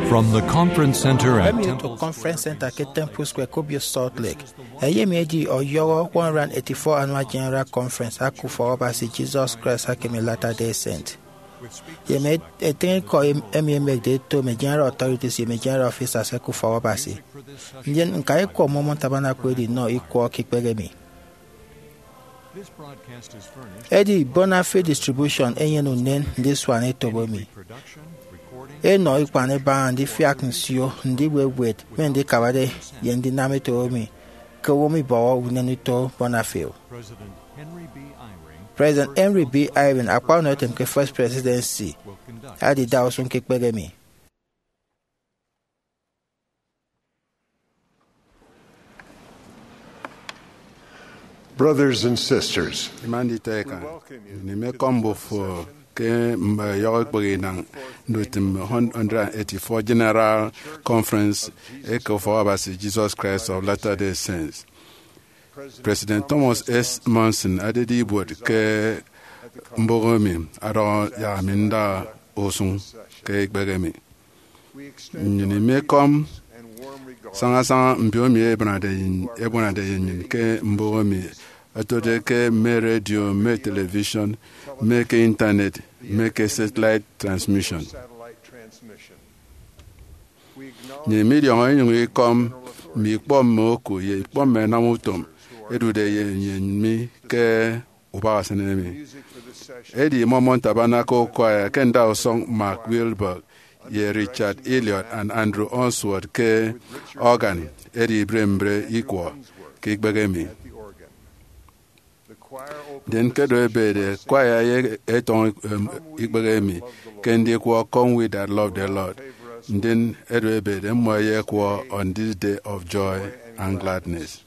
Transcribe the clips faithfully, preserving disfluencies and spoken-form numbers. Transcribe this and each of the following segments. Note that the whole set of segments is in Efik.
From the Conference Center at Emi Temple Conference Center ke Temple Square, Kobio, Salt Lake. Eyemi edi ọyọhọ one hundred eighty-four Annual General Conference aka Ufọk Abasi Jesus Christ aka emi Latter-day Saint. Ye mme etịñ ikọ em- emi emekde eto mme general authorities ye mme general officers eke ufọk Abasi. Ndien ñka ikwọ Mormon Tabernacle edi nnọ ikwọ ke ikpehe emi. Edi Bonafide Distribution enyene unen ndisuan etop emi. Enọ ikpan ebaña ndifiak nsio, ndiwewet, mme ndikabade ye ndinam etop emi ke owo mibọhọ unen uto Bonafide. President Henry B. Eyring, akpa ọnọ etem ke First Presidency, adida usụñ ke ikpehe emi. Brothers and sisters, Ima nditọ eka, nnyịn imekọm mbufo ke mme ọyọhọ ikpehe inañ ndutịm one hundred eighty-four General Conference eke Ufọk Abasi Jesus Christ of Latter-day Saints. President Thomas S. Monson adede ibuot ke mbụk emi, adọhọ yak ami nda usụñ ke ikpehe emi. Nnyịn imekọm sañasaña mbiomi ebuanade ye, ebuanade ye nnyịn ke mbụk emi, ẹtode ke mme redio, mme television, mme ke intanet, mme ke satellite transmission. Nnyịn midiọñọ inyụñ ikọm mme ikpọ mme oku ye ikpọ mme ẹnam utom ẹdude ye nnyịn mi ke ubak usen emi. Edi Mormon Tabernacle Choir ke ndausọñ Mark Wilberg ye Richard Elliot and Andrew Unsworth ke organ ẹdi ibre mbre ikwọ ke ikpehe emi. Ndien ke edu ebede, choir ye etọñ, em, ikpehe emi ke ndikwọ Come We That Love the Lord. Ndien edu ebede, mmọ ẹyekwọ On This Day of Joy and Gladness.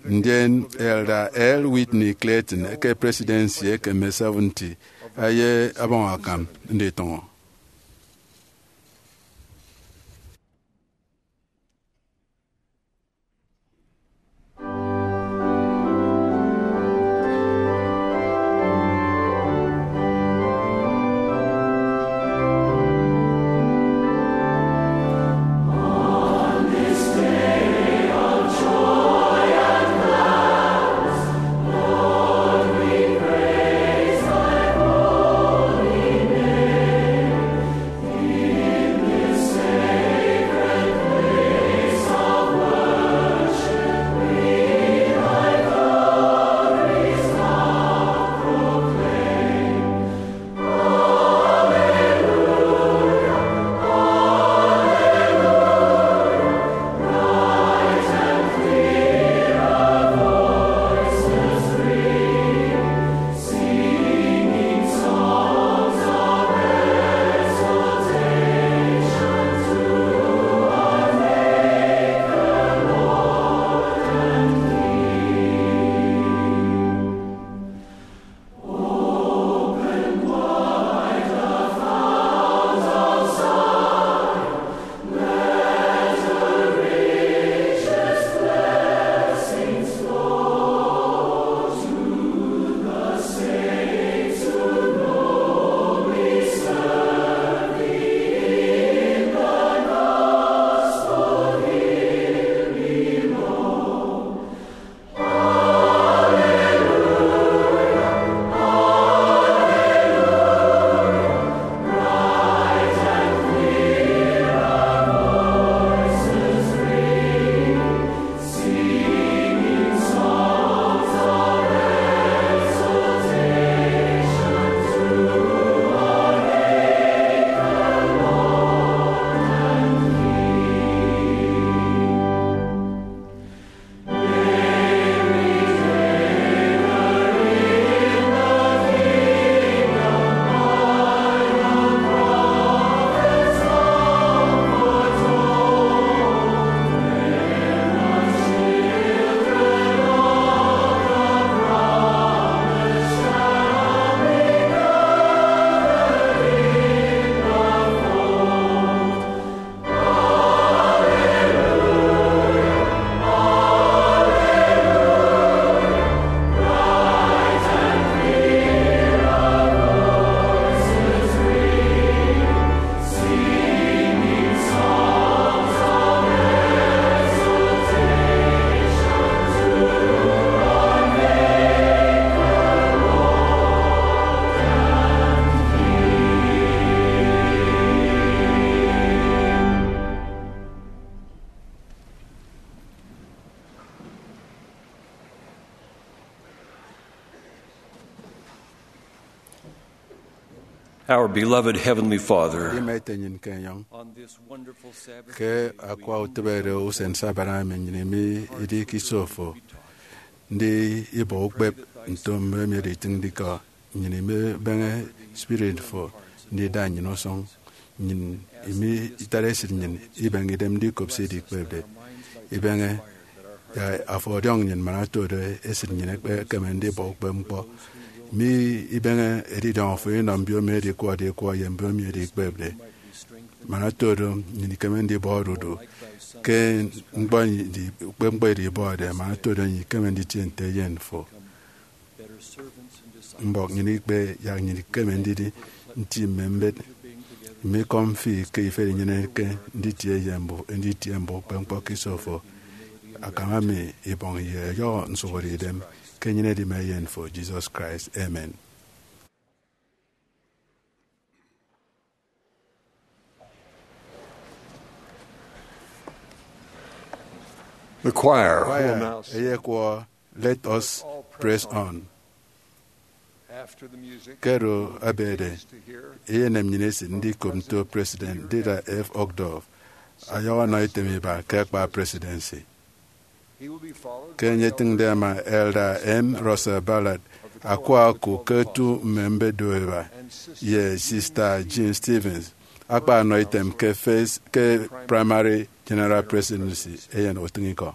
Ndien Elder L. Whitney Clayton eke Presidency eke mme seventy eye abaña akam nditọñọ. Our beloved Heavenly Father, Ima ete nnyịn ke enyọñ. On this wonderful Sabbath ke day, we akwa utịbe oro usen Sabat emi nnyịn imi idi ke iso fo, ndi ibọ ukpep nto mme emi editịñde ikọ. Nnyịn imibeñe spirit fo ndida nnyịn usụñ. Nnyịn imi itara esịt nnyịn ibeñe idem ndikop se idikpepde. Ibeñe ya afo ọdiọñ nnyịn man oto do esịt nnyịn ekpekeme ndibọ ukpep ñkpọ. Mi ibeñe edidiọñ fo inọ mbiomi edi ikwọde ikwọ ye mbiomi edi ikpepde. Man oto do nnyịn ikeme ndibọ odudu ke ñkpọ edi, ukpep ñkpọ edi ibọde, man oto do nnyịn ikeme nditie nte eyen fo. Mbọk nnyịn ikpe yak nnyịn ikeme ndidi nti mme mbet. Mme ikọ mfi ke ifet inyeneke nditie ye mbu-, nditie mbọ ukpep ñkpọ ke iso fo. Akama mi ibọñ ye ọyọhọ nsụhọde idem ke enyịnede mme eyen fo, Jesus Christ. Amen. The choir will Choir now sing. Eyekwọ, Let Us Press On. After the music, ke oro ebede, eyenem nnyịn esịt ndikop nto President Dieter F. Uchtdorf ayọhọ ọnọ item iba ke akpa presidency. He will be followed ke by enye etịñde ẹma Elder M. Russell Ballard, akwa oku ke otu mme mbet do iba, ye Sister Jean Stevens, akpa anọ item ke first, ke Primary General Presidency, eyen utịñikọ.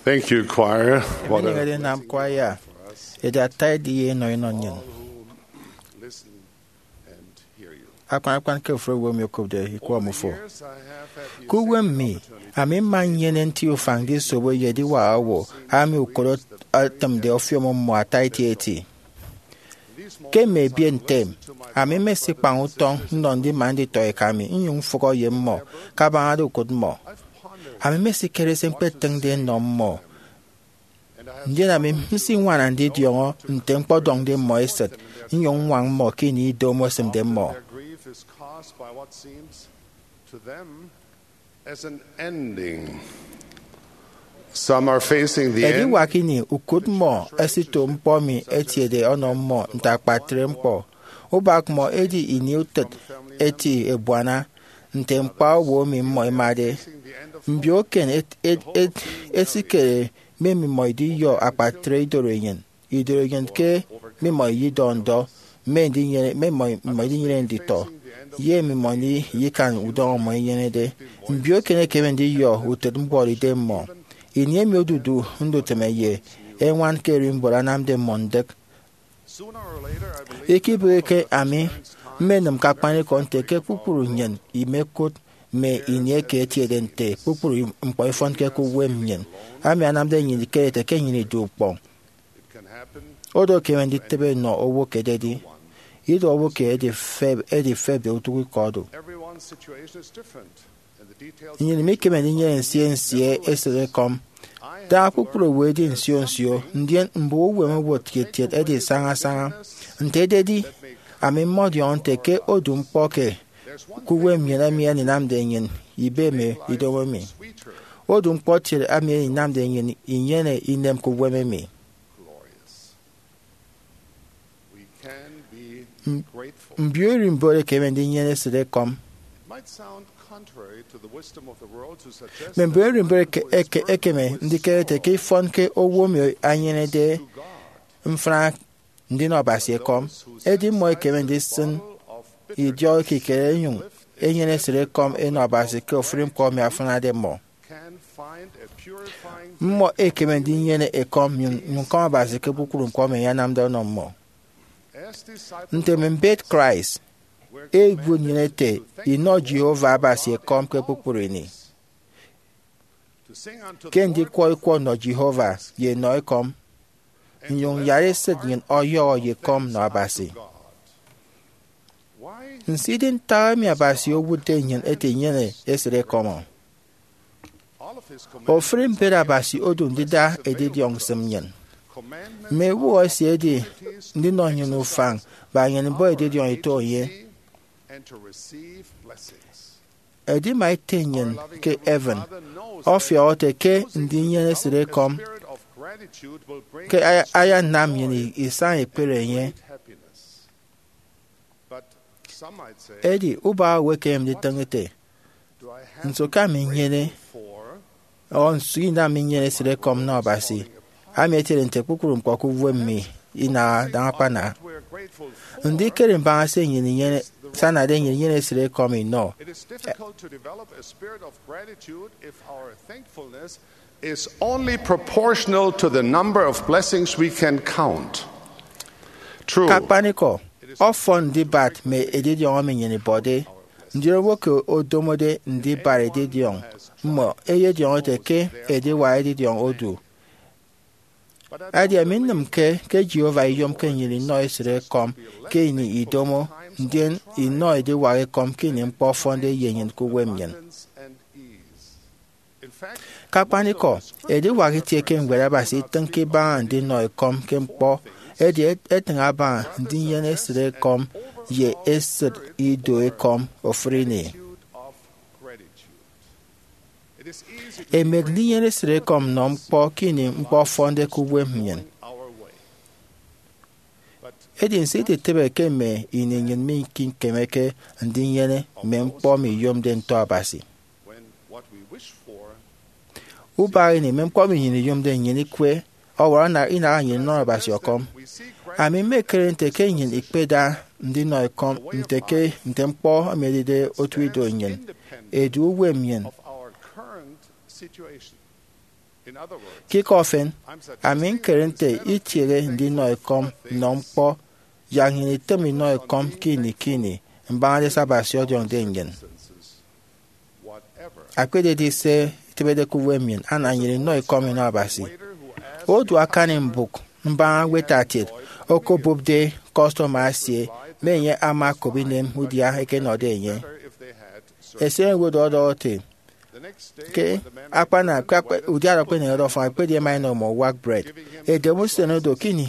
Thank you, choir. Emi enịñede inam kwaya edi ata ediye inọ inọ nnyịn. Akpan akpan ke ofụri owo emi okopde ikwọ mmufo. Ke uwem mi, ami mma nnyene nti ufañ ndisobo ye ediwak owo ami ukot etịmde ọfiọm mmọ ata eti eti. Ke mme ebiet ntem, ami mmesikpañ utọñ nnọ ndima nditọeka mi nnyụñ mfụhọ ye mmọ kabaña ukot mmọ. Ami mmesikere se ñkpetịñde nnọ mmọ, ndien ami nsiñwana ndidiọñọ nte ñkpọdọñde mmọ esịt, nnyụñ ññwañ mmọ ke ini idomo esịmde mmọ. Ediwak ini, ukot mmọ ẹsito ñkpọ emi etiede ọnọ mmọ nte akpatre ñkpọ. Ubak mmọ edi ini utịt eti ebuana nte ñkpa owo emi mmọ ẹmade. Mbioken ẹsikere mme mmimọ idiyọ akpatre idoro enyịn, idoro enyịn ke mmimọ iyidọ ndọ, mme ndinyene, mme mmimọ idinyene nditọ, ye mmimọ iyikan udọñọ mmọ inyenede. Mbioken ẹkeme ndiyọ utịt mbuọtidem mmọ. Ini emi odudu ndutịme ye eñwan ke ererimbot anamde mmọ ndịk. Ikebịghike, ami mmenịm ke akpanikọ nte ke kpukpru nnyịn imekụt mme ini eke etiede nte kpukpru ñkpọ ifọnke ke uwem nnyịn. Ami anamde nnyịn ikere ete ke nnyịn idu ukpọñ. Odo ekeme nditịbe nnọ owo ke ededi. Ido owo ke edifep, edifepde utuk ikọ odu. Nnyịn mikeme ndinyene nsie nsie esịtekọm. Da kpukpru owo edi nsio nsio, ndien mbon uwem owụt kiet kiet ẹdi saña saña. Nte ededi, ami mmọdiọñọ nte ke odu ñkpọ ke ke uwem nnyịn emi eninamde nnyịn ibe mme idomo mi. Odu ñkpọ kiet emi eninamde nnyịn inyene inem ke uwem emi. Mbio ererimbot ẹkeme ndinyene esịtekọm. Mme mbio ererimbot ẹke-, ẹke-, ẹkeme ndikere ete ke ifọn ke owo emi anyenede mfịna ndinọ Abasi ekọm, edi mmọ ẹkeme ndisịn idiọk ekikere ẹnyụñ ẹnyene esịtekọm ẹnọ Abasi ke ofụri ñkpọ emi afịnade mmọ. Mmọ ẹkeme ndinyene ekọm nnyụñ, nnyụñ ñkọm Abasi ke kpukpru ñkpọ emi enye anamde ọnọ mmọ. Nte mme mbet Christ, ẹwụt nnyịn ete inọ Jehovah Abasi ekọm ke kpukpru ini. Ke ndikwọ ikwọ nnọ Jehovah ye nnọ ekọm, nnyụñ nyara esịt nnyịn ọyọhọ ye ekọm nnọ Abasi. Nso idi ntak emi Abasi owụtde nnyịn ete inyene esịtekọm? Ofụri mbet Abasi odu ndida edidiọñ isịm nnyịn. Mme ewụhọ esie edi ndinọ nnyịn ufañ, baña nnyịn mbon edidiọñ ito enye. Edima Ete nnyịn ke heaven ọfiọk ete ke ndinyene esịtekọm ke aya-, ayanam nnyịn isaña ekpere enye. Edi ubak owo ekeme nditịñ ete, "Nso ke ami nnyene, ọ nso inam mi nnyene esịtekọm nnọ Abasi, ami etiede nte kpukpru ñkpọ ke uwem mi inaha daña akpana?" Ndikere mbaña se nnyịn inyene, se anade nnyịn inyene esịtekọm inọ. Is only proportional to the number of blessings we can count. True. Ke akpanikọ, ọfọn ndibat mme edidiọñ emi nnyịn ibọde, ndien owo ke odomode ndibat edidiọñ mmọ eyediọñ ete ke ediwak edidiọñ odu. Edi ami nnịmke ke Jehovah iyomke nnyịn inọ esịtekọm ke ini idomo, ndien inọ ediwak ekọm ke ini ñkpọ ọfọnde ye nnyịn ke uwem nnyịn. Ke akpanikọ, ediwak itie ke Ñwed Abasi itịñke ibaña ndinọ ekọm ke ñkpọ, edi et-, etịñ abaña ndinyene esịtekọm ye esịt ido ekọm ofụri ini. Emek ndinyene esịtekọm nnọ ñkpọ ke ini ñkpọ ọfọnde ke uwem nnyịn. Edi nso iditịbe ke mme ini nnyịn mikemeke ndinyene mme ñkpọ miyomde ntọ Abasi? Ubak ini mme ñkpọ emi nnyịn iyomde nnyịn ikwe ọwọrọ ana-, inaha nnyịn inọ Abasi ọkọm. Ami mmekere nte ke nnyịn ikpeda ndinọ ekọm nte ke nte ñkpọ emi edide otu ido nnyịn, edu uwem nnyịn. Ke ikọ efen, ami ñkere nte itiehe ndinọ ekọm nnọ ñkpọ yak nnyịn itịm inọ ekọm ke ini ke ini mbaña se Abasi ọdiọñde nnyịn. Ekpededi se itịbede ke uwem nnyịn, ana nnyịn inọ ekọm inọ Abasi. Odu akani mbụk mbaña weta etiet okobụpde kọstọma esie, mme enye ama okop inem udia eke ẹnọde enye. Esenyịn owo do ọdọhọ ete ke akpana ke akpa- udia do ekpeneñede ọfọñ, ekpedi ẹma ẹnọ imọ uwak bred. Edem usen odo ke ini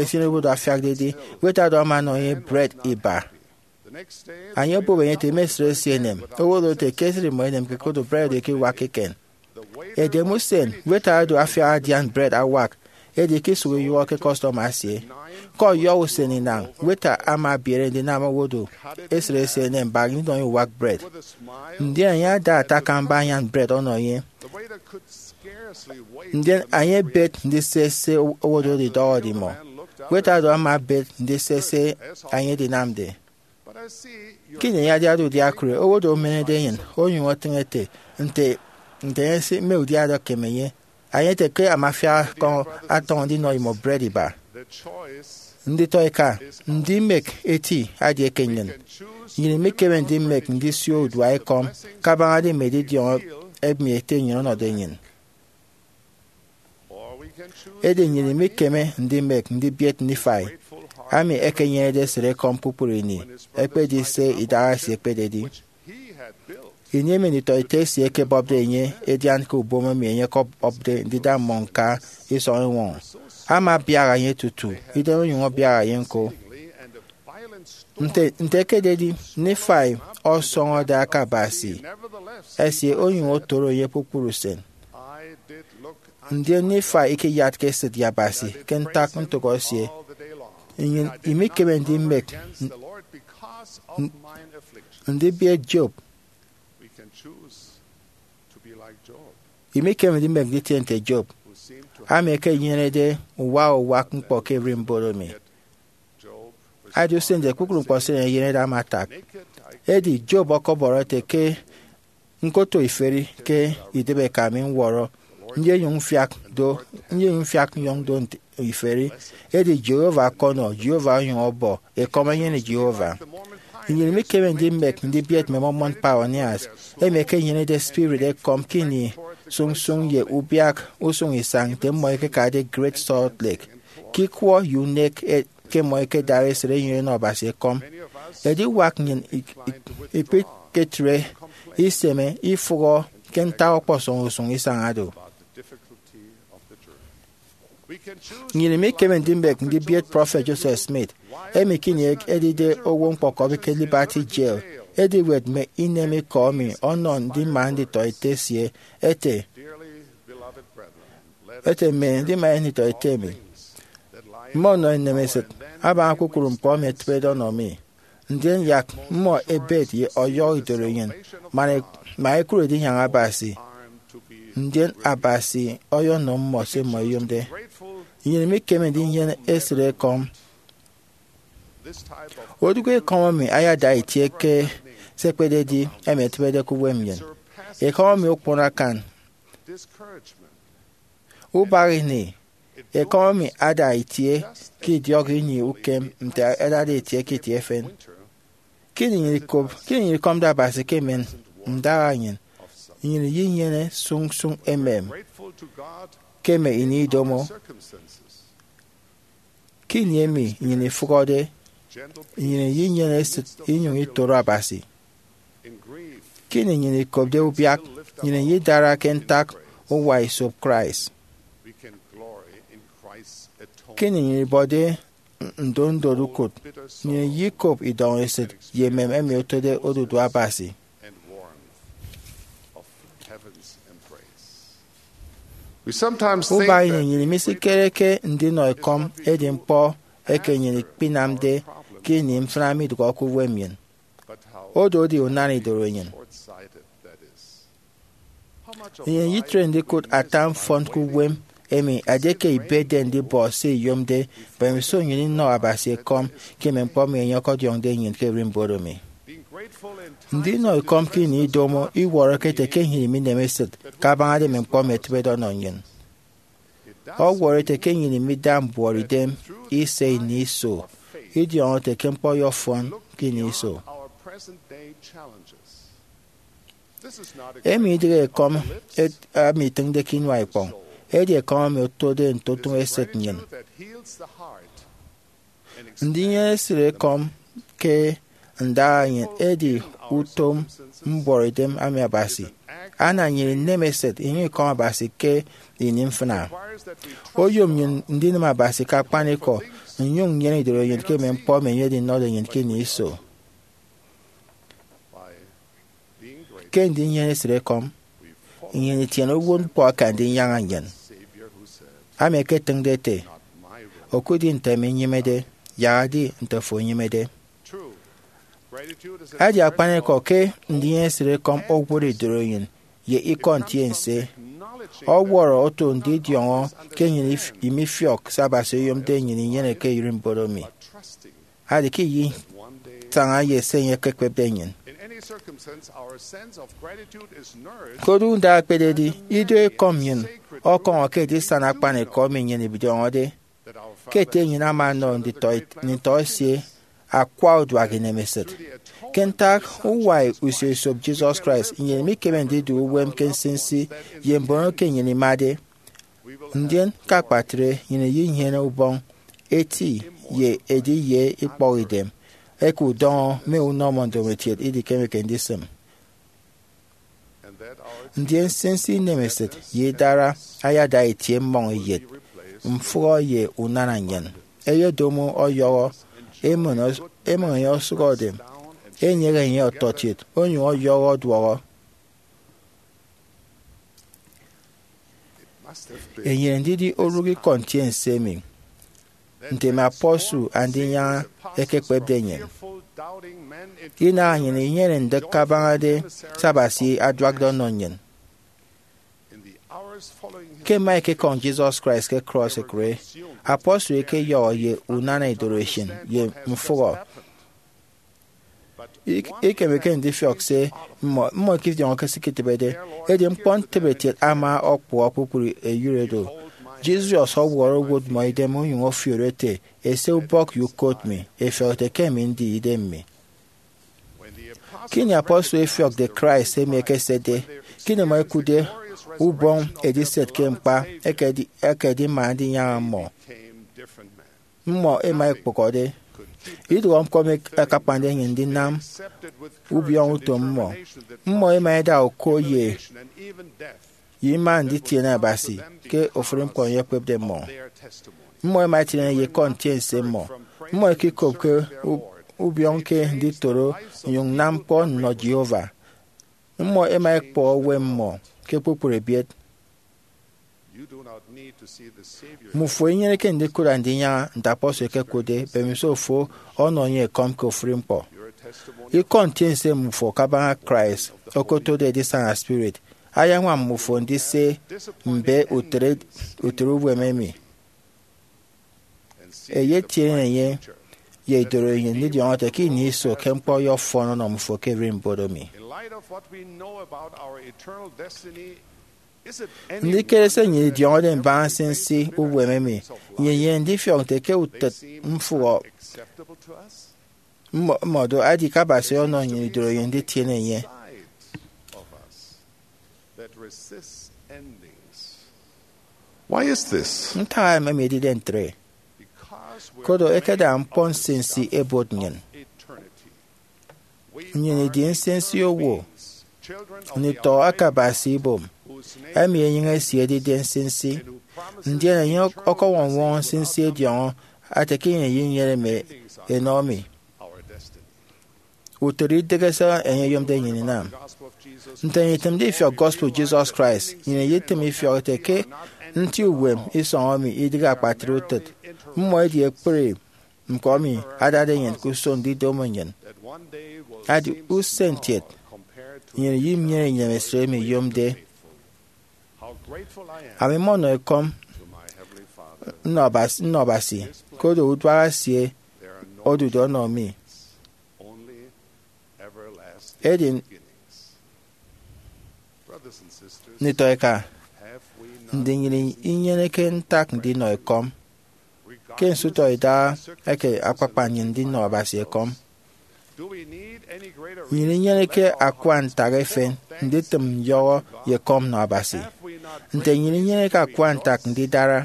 esenyịn owo do afiakde edi, weta do ama ọnọ enye bred iba. Enye obụp enye ete imesịt esie enem. Owo do ete ke esịt imọ enem ke kodu bred eke iwakke eken. Edem usen, weta odo afiak adian bred awak, edi ke isụk iyụhọ ke kọstọma esie. Ke ọyọhọ usen inañ, weta ama ebiere ndinam owo do esịt esie enem baña inọ enye uwak bred. Ndien enye ada ata akamba anyan bred ọnọ enye. Ndien enye ebet ndise se owo do idọhọde imọ. Weta do ama ebet ndise se enye edinamde. Ke ini enye adiade udia ekụre, owo do omenede enyịn onyụñ otịñ ete nte nte enye si mme udia do ekem enye. Enye ete ke amafiak akọñ atọñ ndinọ imọ bred iba. Nditọ eka, ndimek eti adi eke nnyịn. Nnyịn imikeme ndimek ndisio udua ekọm kabañade mme edidiọñ emi ete nnyịn ọnọde nnyịn. Edi nnyịn imikeme ndimek ndibiet Nifai, ami ekenyenede esịt ekọm kpukpru ini, ekpedi se idaha esie ekpededi. Ini emi nditọete esie ẹkebọpde enye edian ke ubom emi enye ọkọbọpde ndida mmọ ñka isọñ eñwọñọ, ama abiaha enye tutu, idem onyụñ abiaha enye ñko. Nte nte ekededi, Nifai ọsọñọde aka Abasi esie onyụñ otoro enye kpukpru usen. Ndien Nifai ikeyatke esịt ye Abasi ke ntak ntụk esie. Nnyịn imikeme ndimek n- n- ndibiet Job. Imikeme ndimek nditie nte Job, ami ekenyenede uwa uwak ñkpọ ke ererimbot emi. Edi usen nte kpukpru ñkpọ se enye enyenede ama atak. Edi Job ọkọbọrọ ete ke ñkoto iferi ke idịbi eka mi ñwọrọ, nyenyụñ mfiak do nyenyụñ mfiak nyọñ do nte iferi. Edi Jehovah ọkọnọ, Jehovah onyụñ ọbọ ekọm enyene Jehovah. Nnyịn imikeme ndimek ndibiet mme Mormon pioneers, emi ẹkenyenede spirit ekọm ke ini sụñsụñ ye ubiak usụñ isañ nte mmọ ẹkekade Great Salt Lake, ke ikwọ ye unek e- ke mmọ ẹkedara esịt ẹnyụñ ẹnọ Abasi ekọm. Ediwak nnyịn ik- ik- ikpiketre iseme ifụhọ ke ntak ọkpọsọñ usụñ isañ oro. Nnyịn imikeme ndimek ndibiet prọfet Joseph Smith, emi ke ini edide owo ñkpọkọbi ke Liberty Jail, ediwet mme inemikọ emi ọnọ ndima nditọete esie, ete, ete, mme ndima nditọete emi, mme ọnọ inemesịt abaña kpukpru ñkpọ emi ẹtịbede ọnọ mi. Ndien yak mmọ ẹbet ye ọyọhọ idorenyin, man e- man ẹkụre edinyaña Abasi. Ndien Abasi ọyọnọ mmọ se mmọ ẹyomde. Nnyịn imikeme ndinyene esịt ekọm. Odụk ekọm emi ayada itie ke se ekpededi emi ẹtịbede ke uwem nnyịn. Ekọm emi okpon akan. Ubak ini, ekọm emi ada itie ke idiọk ini ukem nte ẹdade itie ke itie efen. Ke ini nnyịn ikop, ke ini nnyịn ikọmde Abasi ke emen ndaha nnyịn, nnyịn iyenyene sụñsụñ emem ke mme ini idomo. Ke ini emi nnyịn ifụhọde, nnyịn iyenyene esịt inyụñ itoro Abasi. Ke ini nnyịn ikopde ubiak, nnyịn iyidara ke ntak uwa esop Christ. Ke ini nnyịn ibọde ndondo ukụt, nnyịn iyikop idọñ esịt ye emem emi otode odudu Abasi. Ubak ini nnyịn misikere ke ndinọ ekọm edi ñkpọ eke nnyịn ikpinamde ke ini mfịna midụhe ke uwem nnyịn. Odo edi unana idorenyin. Nnyịn itre ndikụt ata mfọn ke uwem emi edieke ibetde ndibọ se iyomde mbemiso nnyịn inọ Abasi ekọm ke mme ñkpọ emi enye ọkọdiọñde nnyịn ke ererimbot emi. Ndinọ ekọm ke ini idomo iwọrọke ete ke nnyịn minemesit kabaña mme ñkpọ emi ẹtịbede ọnọ nnyịn. Ọwọrọ ete ke nnyịn imida mbuọtidem ise ini iso idiọñọ ete ke ñkpọ ọyọfọn ke ini iso. Emi idịghe ekọm et- emi itịñde ke inua ikpọñ, edi ekọm emi otode ntotụñọ esịt nnyịn. Ndinyene esịt ekọm ke ndaha nnyịn edi utom mbuọtidem emi Abasi anam nnyịn ineme esịt inyụñ ikọñ Abasi ke ini mfịna. Oyom nnyịn ndinịm Abasi ke akpanikọ, nnyụñ nnyene idoro nnyịn ke mme ñkpọ emi enye edinọde nnyịn ke ini iso. Ke ndinyene esịt ekọm, nnyịn itiene uwụtñkpọ aka Ndinyaña nnyịn, ami eketịñde ete, "Okudi nte ami nnyịmede, yak edi nte afo enyịmede." Edi akpanikọ ke ndinyene esịt ekọm owụt idoro nnyịn ye ikọ ntiense. Ọwọrọ oto ndidiọñọ ke nnyịn if- imifiọk se Abasi oyomde nnyịn inyene ke ererimbot emi. Adi ke iyitaña ye se enye ekekpepde nnyịn. Koro nda ekpededi, ido ekọm nnyịn ọkọñọ ke edisana akpanikọ emi nnyịn idiọñọde, ke ete nnyịn ama ọnọ nditọ, nditọ esie akwa uduak inemesịt. Ke ntak uwa usio esop Jesus Christ, nnyịn mikeme ndidu uwem ke nsinsi ye mbon eke nnyịn imade. Ndien ke akpatre, nnyịn inyene ubọñ eti ye ediye ikpọhidem eke udọñọ mme unọmọ ndomokiet idikemeke ndisịm. Ndien nsinsi inemesịt ye idara ayada itie mmọñ eyet, mfụhọ ye unana nnyịn. Eyedomo ọyọhọ, emụñ os- emụñ enye osụhọde, enyịghe enye ọtọkiet, onyụñ ọyọhọ ọduọhọ. Enyene ndidi orụk ikọ ntiense emi, nte mme apostle Andinyaña ẹkekpepde nnyịn. Inaha nnyịn inyene ndịk kabañade se Abasi aduakde ọnọ nnyịn. Ke ẹma ẹkekọñ Jesus Christ ke cross ekụre, apostle ẹkeyọhọ ye unana idoresin ye mfụhọ. Ik- ikemeke ndifiọk se mmọ mmọ ẹkedidiọñọke se iketịbede, edi ñkpọ ntịbetiet ama ọkpụhọ kpukpru eyịre do. Jesus ọwọrọ owot mmọ idem onyụñ ọfiori ete, "Ese ubọk ye ukot mi, ẹfiọk ete ke emi ndi idem mi." Ke ini apostle ẹfiọkde Christ emi ekesede, ke ini ẹma ẹkụtde ubọñ ediset ke ñkpa, ẹkedi- ẹkedima Andinyaña mmọ. Mmọ ẹma ẹkpụhọde. Idụhe ñkpọ emi akakpande nnyịn ndinam ubiọñọ utom mmọ. Mmọ ẹma ẹda uko ye ye ima nditiene Abasi ke ofụri ñkpọ emi ekpepde mmọ. Mmọ ẹma ẹtiene ye ikọ ntiense mmọ. Mmọ ẹkekopke u- ubiọñ ke nditoro nnyụñ nnam ñkpọ nnọ Jehovah. Mmọ ẹma ẹkpọhọ uwem mmọ ke kpukpru ebiet. Mmufo inyeneke ndikụt Andinyaña nte apostle ekekụtde, mbemiso fo ọnọ enye ekọm ke ofụri ñkpọ. Ikọ ntiense mmufo kabaña Christ, okotode edisana spirit, ayañwam mmufo ndise mbe utịt utịt uwem emi. Eyetiene enye ye idoro nnyịn ndidiọñọ ete ke ini iso ke ñkpọ ọyọfọn ọnọ mmufo ke ererimbot emi. Ndikere se nnyịn idiọñọde mbaña nsinsi uwem emi, nnyịn inyene ndifiọk nte ke utịt mfụhọ mmọ mmọ do edi ke Abasi ọnọ nnyịn idoro nnyịn nditiene enye. Why is this? Ntak emi edide ntre? Koro ẹkeda ñkpọ nsinsi ẹbot nnyịn. Nnyịn idi nsinsi owo, nditọ aka Abasi ibom, emi enyịñ esie edide nsinsi, ndien enye ọkọñwọñ-ñwọñọ nsinsi ediọñọ ete ke ini enyene mme enọ mi. Utịt idịghe se enye oyomde nnyịn inam. Nte nnyịn itịmde ifiọk gospel Jesus Christ, nnyịn iyetịm ifiọk ete ke nti uwem isọñ emi idịghe akpatre utịt. Mmọ edi ekpri ñkpọ emi adade nnyịn ke usụñ ndidomo nnyịn. Adi usen kiet, nnyịn inyene inemesịt emi iyomde. Ami mmọnọ ekọm nnọ Abasi, nnọ Abasi, koro uduak esie odude ọnọ mi. Edi nditọ eka, ndi nnyịn inyeneke ntak ndinọ ekọm? Ke nsụhọ idaha eke akpakpa nnyịn ndinọ Abasi ekọm, nnyịn inyeneke akwa ntak efen nditịm nyọhọ ye ekọm nnọ Abasi. Nte nnyịn inyeneke akwa ntak ndidara?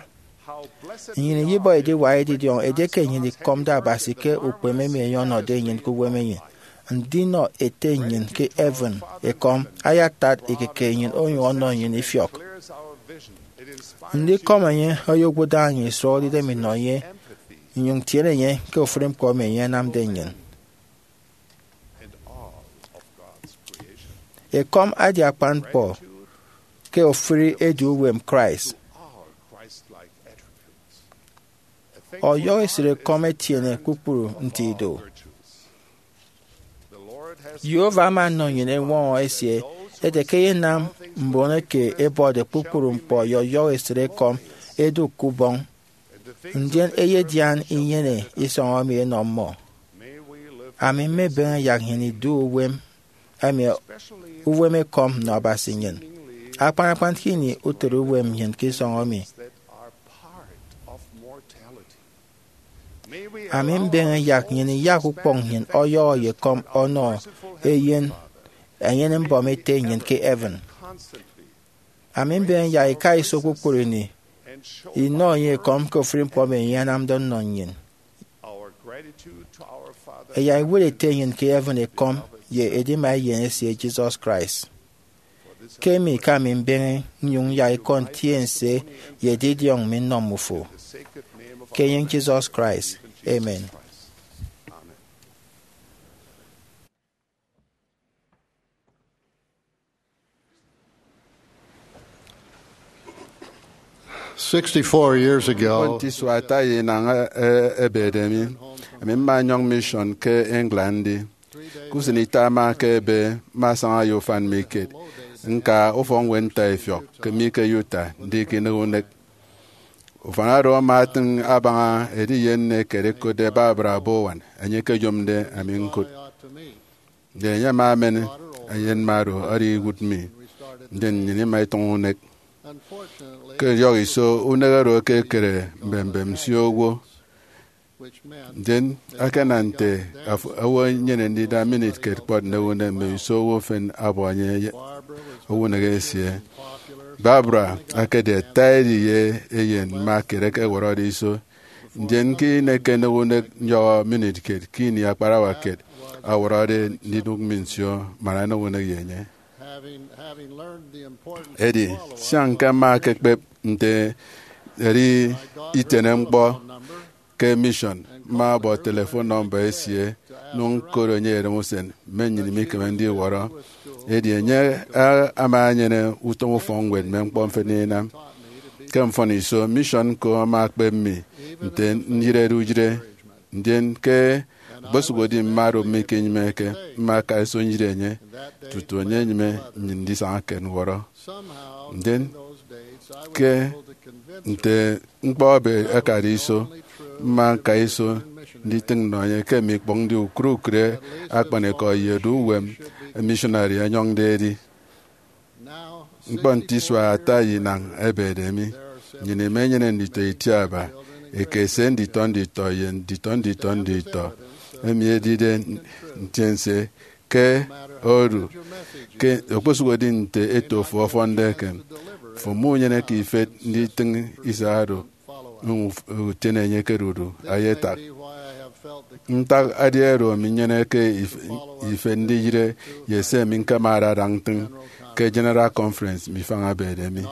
Nnyịn iyibọ ediwak edidiọñ edieke nnyịn ikọmde Abasi ke ukpeme emi enye ọnọde nnyịn ke uwemenyịn. Ndinọ Ete nnyịn ke heaven ekọm ayatat ikike nnyịn onyụñ ọnọ nnyịn ifiọk. Ndikọm enye oyowụt daña nnyịn isụhọde idem inọ enye, nnyụñ tiene enye ke ofụri ñkpọ emi enye anamde nnyịn. Ekọm edi akpan ñkpọ ke ofụri edu uwem Christ. Ọyọhọ esịtekọm etiene kpukpru nti ido. Jehovah ama ọnọ nnyịn eñwọñọ esie ete ke eyenam mbon eke ẹbuọtde kpukpru ñkpọ ye ọyọhọ esịtekọm ẹdụk ke ubọñ, ndien ẹyedian inyene isọñ emi ẹnọ mmọ. Ami mmebeñe yak nnyịn idu uwem emi, uwem ekọm nnọ Abasi nnyịn, akpan akpan ke ini utịt uwem nnyịn ke isọñ emi. Ami mbeñe yak nnyịn iyak ukpọñ nnyịn ọyọhọ ye ekọm ọnọ Eyen enyene-mbọm Ete nnyịn ke heaven. Ami mbeñe yak ika iso kpukpru ini inọ enye ekọm ke ofụri ñkpọ emi enye anamde ọnọ nnyịn. Ẹyak iwot Ete nnyịn ke heaven ekọm ye edima Eyen esie Jesus Christ. Ke emi ke ami mbeñe nnyụñ yak ikọ ntiense ye edidiọñ mi nnọ mmufo. Ke enyịñ Jesus Christ, amen. Sixty-four years ago, nte isua ata ye inañ e-, e-, ebede mi, ami mma nyọñ mission ke England ndi. Ke usen ita ama ke ebe, mma saña ye ufan mi kiet, ñka ufọkñwed ntaifiọk ke mi ke Utah, ndi ke inịk unek. Ufan oro ama atịñ abaña ediye nne kiet ẹkotde Barbara Bowen, enye ekeyomde ami ñkụt. Ndien enye ama emen eyenmma oro ọdọ iwụt mi, ndien nnyịn ima itụñ unek. Ke idiọk iso, unek oro ekekere mbembem nsio owo, ndien akana nte af-, owo enyene ndida minit kiet kpọt nnịk unek mme iso owo efen abuọ enye ye owo unek esie. Barbara ekedi ata ediye eyen mma kiet eke ẹwọrọde iso, ndien ke ini eke nnịk unek nyọhọ minit kiet ke ini akparawa kiet awọrọde ndidụk mi nsio man nnịk unek ye enye. Edi, sian ke mma ekekpep nte edi itiene ñkpọ ke mission, mma ọbọ telephone number esie, nụñ ñkot enye erem usen, mme nnyịn imikeme ndiwọrọ. Edi enye a-, ama enyene utom ufọkñwed mme ñkpọ mfịna inam. Ke mfọn iso, mission ñko ama ekpep mi nte nyịrede uyịre, ndien ke okposụkedi mma oro mikinyịmeke, mma aka iso nyịre enye tutu enye enyịme nnyịn ndisaña ke ñwọrọ. Ndien, ke nte ñkpọ ebe akade iso, mma ñka iso nditịñ nnọ enye ke mikpọñ ndi ukụre ukụre akpanikọ ye edu uwem missionary ọnyọñde edi. Ñkpọ nte isua ata ye inañ ebede mi, nnyịn imenyene nditọ itiaba eke ese nditọ nditọ ye nditọ nditọ nditọ, emi edide ntiense ke odu, ke okposụkedi nte eto fo ọfọnde eken, fo munyeneke ifet nditịñ ise oro, uf-, utiene enye ke dudu, ayatak. Ntak edi oro minyeneke if-, ifet ndiyịre ye se mi ñkemade ada ntịñ ke General Conference mifañabede mi.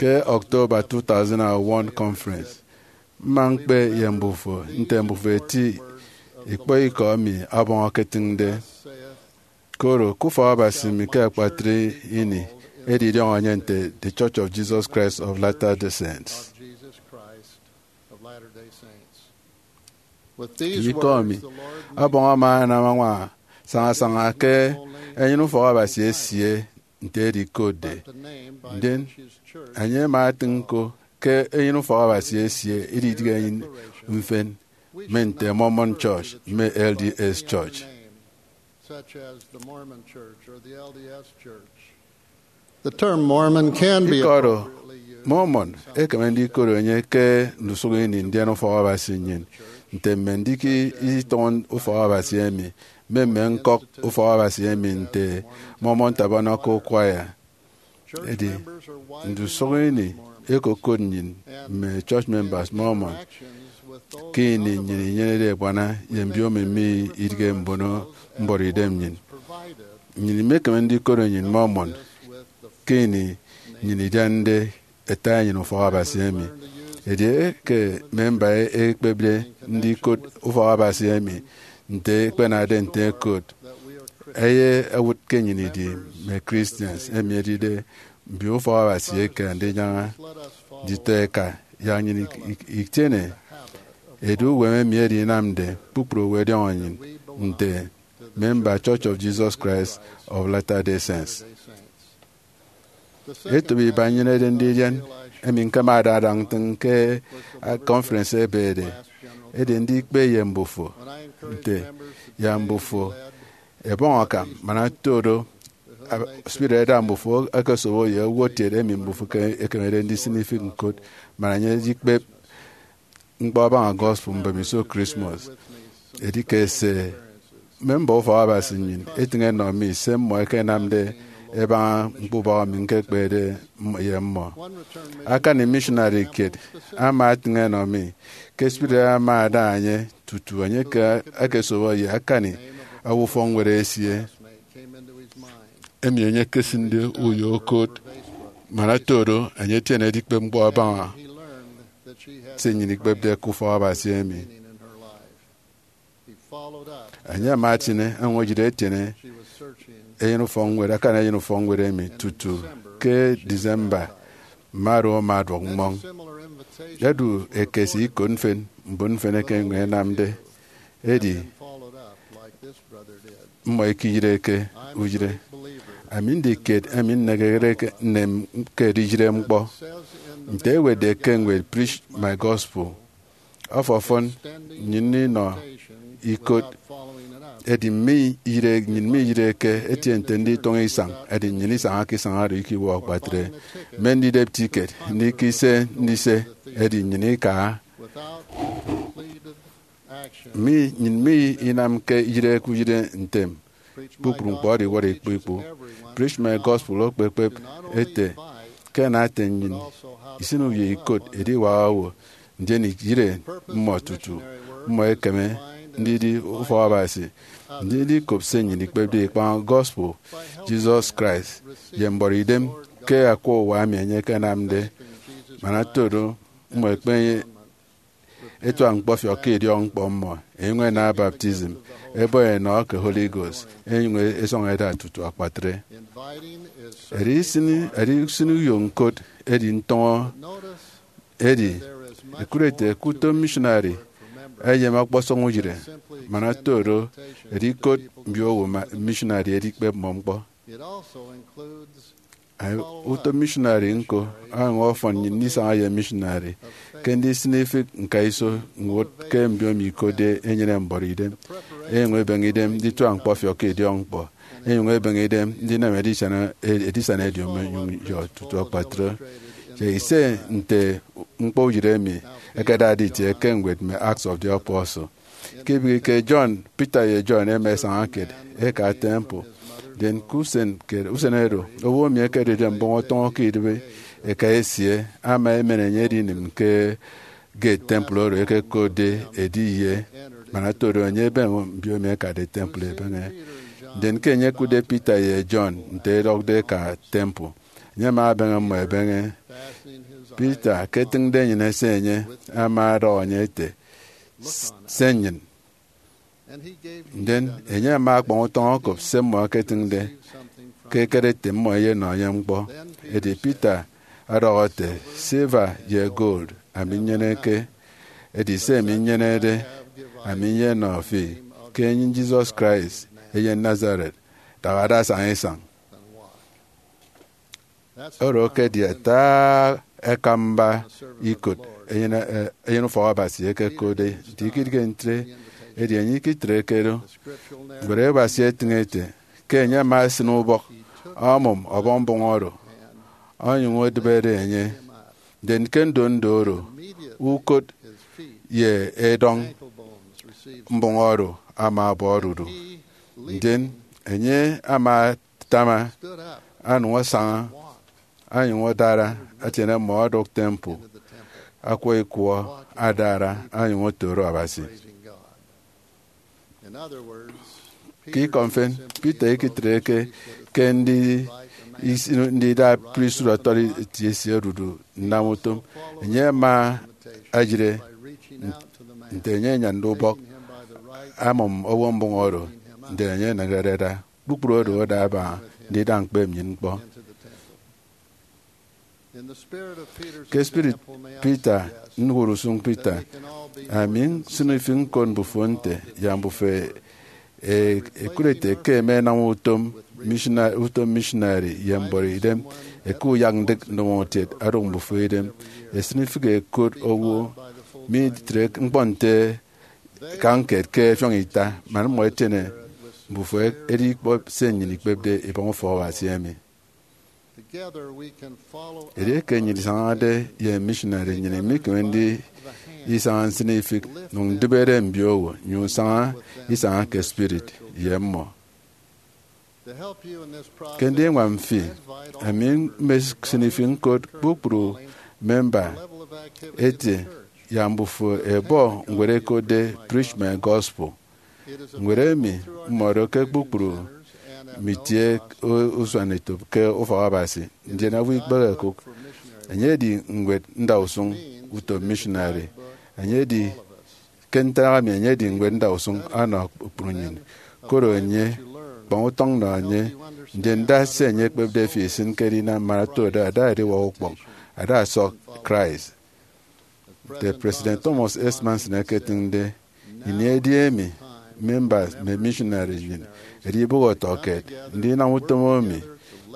Ke October two thousand and one conference, mma ñkpe ye mbufo nte mbufo eti ikpọ ikọ emi ọbọñ eketịñde. Koro ke ufọk Abasi mi ke akpatre ini, edi idiọñọ enye nte The Church of Jesus Christ of Latter-day Saints. Ye ikọ emi, ọbọñ ama anam añwaña sañasaña ke enyịn ufọk Abasi esie nte edikotde. Ndien, enye ama etịñ ñko ke enyịn ufọk Abasi esie ididịghe enyịn mfịn, mme nte Mormon Church, mme L D S Church. such as the Mormon Church or the L D S Church. The term Mormon can be Ikọ oro appropriately used Mormon ekeme ndikot enye ke ndusụk ini ndien ufọk Abasi nnyịn, nte mme ndịk isitọñọ ufọk Abasi emi, mme mme ñkọk ufọk Abasi emi nte Mormon Tabernacle Choir. Edi, ndusụk ini ẹkokot nnyịn mme church members Mormon ke ini nnyịn inyenede ebuana ye mbiomo emi idịghe mbono mbọrọidem nnyịn. Nnyịn imekeme ndikot nnyịn Mormon ke ini nnyịn idiande ata enyịn ufọk Abasi emi. Edieke memba ekpepde ndikot ufọk Abasi emi nte ekpenade nte ẹkot, eyewụt ke nnyịn idi mme Christians, emi edide mbio ufọk Abasi eke andinyaña. Nditọ eka, yak nnyịn ik- ik- itiene edu uwem emi edinamde kpukpru owo ẹdiọñọ nnyịn nte memba Church of Jesus Christ of Latter-day Saints. Etop iba nnyenede ndidian emi ñkemade adañ ntịñ ke conference ebede, edi ndikpe ye mbufo nte, yak mbufo ẹbọñ akam, man oto do, spirit ẹda mbufo ẹkesobo ye uwụttiet emi mbufo ke- ẹkemede ndisịn ifịk ñkot, man enye edikpep ñkpọ abaña gospel mbemiso Christmas. Edi ke se memba ufọk Abasi nnyịn etịñ ẹnọ mi se mmọ ẹkenamde ẹbaña ñkpeubọk emi ñkekpede ye mmọ. Akani missionary kiet ama atịñ ẹnọ mi ke spirit ama ada enye tutu enye ke- ekesobo ye akani owo ufọkñwed esie, emi enye ekesịnde uyo okot, man oto do enye etiene edikpep ñkpọ abaña se nnyịn ikpepde ke ufọk Abasi emi. Enye ama etiene añwaña etiene eyen ufọkñwed, akani eyen ufọkñwed emi tutu ke December, mme oro ama aduọk mmọñ. Edu ekese ikot mfịn, mbon mfịn eke enyụñ ẹnamde, edi mmọ ikiyịreke uyịre. Ami ndi kiet emi nnekekere ke nnem ke ediyịre ñkpọ. Nte ewetde ke ñwed Preach My Gospel, ọfọfọn nnyịn inọ ikot, edi mme iyịre, nnyịn miyịreke etie nte nditụñ isañ, edi nnyịn isañake isañ oro ikiwọ akpatre. Mme ndidep ticket, ndikise ndise, edi nnyịn ikaha. Mi, nnyịn mi inamke iyịre ke uyịre ntem. Kpukpru ñkpọ ọdiwọrọ ikpu ikpu. Preach My Gospel okpekpep ete ke ana ete nnyịn isịn uyo ikot ediwak owo, ndien iyịre mmọ tutu mmọ ẹkeme ndidi ufọk Abasi, ndien ndikop se nnyịn ikpepde ikpañ gospel Jesus Christ ye mbọrọidem ke akwa uwa emi enye ekenamde, man oto do mmọ ẹkpenyene etuak ñkpọfiọk ke idiọkñkpọ mmọ, ẹnyụñ ẹnam baptism, ẹbọ ẹnọ ke Holy Ghost, ẹnyụñ ẹsọñ ẹda tutu akpatre. Edi isịn, edi isịn uyo ñkot, edi ntọñọ. Edi, ẹkụt ete ke utom missionary eyem ọkpọsọñ uyịre, man oto do, edi ikot mbiowo ma- missionary edikpep mmọ ñkpọ. Utom missionary ñko ọnyụñ ọfọn nnyịn ndisaña ye missionary ke ndisịn ifịk ñkaiso ñwụt ke mbiomo ikotde enyene mbọrọidem, ẹnyụñ ẹbeñe idem ndituak ñkpọfiọk ke idiọkñkpọ, ẹnyụñ ẹbeñe idem ndinam edisana, edisana ediomi ẹnyụñ yọ tutu akpatre. Ye ise nte ñkpọ uyịre emi ẹkedade itie ke ñwed mme Acts of the Apostle. Ke ibịghike, John, Peter ye John ẹma ẹsaña kiet ẹka temple. Ndien ke usen, ke usen oro, owo emi ekedide mbọñ ọtọñọ ke idịbi eka esie ama emen enye edinịm ke gate temple oro ẹkekotde edi ye, man oto do enye ebeñe mbio emi ẹkade temple ẹbeñe. Ndien ke enye ekụtde Peter ye John nte ẹdọkde ẹka temple, enye ama abeñe mmọ ẹbeñe. Peter, ke etịñde enyịn ese enye, ama ọdọhọ enye ete, Se nnyịn. Ndien enye ama akpañ utọñ okop se mmọ ẹketịñde, ke ekere ete mmọ ẹyenọ enye ñkpọ. Edi Peter ọdọhọ ete, Silver ye gold ami nnyeneke, edi se ami nnyenede ami nyenọ fi ke enyịñ Jesus Christ, eyen Nazareth, dagha ada saña isañ. Oro ekedi ata akamba ikot eyen, eh, eyen ufọk Abasi ekekotde. Nte ikidige ntre, Edi enye ikitreke do. Ñwed Abasi etịñ ete ke enye ama esịn ubọk, ọmụm ọbọ mbụñ oro, onyụñ odịbede enye. Ndien ke ndondo oro, ukot ye edọñ mbụñ oro ama abọ odudu. Ndien enye ama atama, anụñ asaña, anyụñ adara, atiene mmọ odụk temple, akwa ikwọ adara, anyụñ otoro Abasi. Ke ikọ mfịn, Peter ikitreke ke ndi-, isi-, ndida priesthood authority esie odudu nnam utom. Enye ama ayịre nte enye anyande ubọk, amụm owo mbụñ oro, ndien enye eneñerede ada. Kpukpru oro ada abaña ndida ñkpep nnyịn ñkpọ. Ke spirit Peter, ñwụrusụñ Peter, ami nsịn ifịk ñkot mbufo nte, yak mbufo e-, ẹkụt ete ke ẹmenam utom missionary, utom missionary ye mbọrọ idem, ẹka uyak ndịk ndomokiet odụk mbufo idem. Ẹsịn ifịk ẹkot owo mitre ñkpọ nte kañked ke ẹfiọñ ita, man mmọ ẹtiene mbufo ẹdi ikpọt se nnyịn ikpepde ibọñ ufọk Abasi emi. Edieke nnyịn isañade ye missionary, nnyịn imikeme ndisaña nsịn ifịk, nyụñ ndịbede mbiowo, nyụñ saña isaña ke spirit ye mmọ. Ke ndiñwam fi, ami mmesịn ifịk ñkot kpukpru memba ete, yak mbufo ẹbọ ñwed ẹkotde Preach My Gospel. Ñwed emi mmọdo ke kpukpru mme itie usuanetop ke ufọk Abasi, ndien owo ikpehe ẹkụk. Enye edi ñwed ndausụñ utom missionary. Enye edi, ke ntak emi, enye edi ñwed ndausụñ ọnọ kpukpru nnyịn. Koro enye, kpọñ utọñ nọ enye, ndien da se enye ekpepde fi isịn ke edinam man oto do ada ediwak ukpọñ, ada ọsọk Christ. Nte President Thomas S. Monson eketịñde, ini edi emi members mme missionary nnyịn ẹdi ibụgho ọtọkiet. Ndinam utom emi,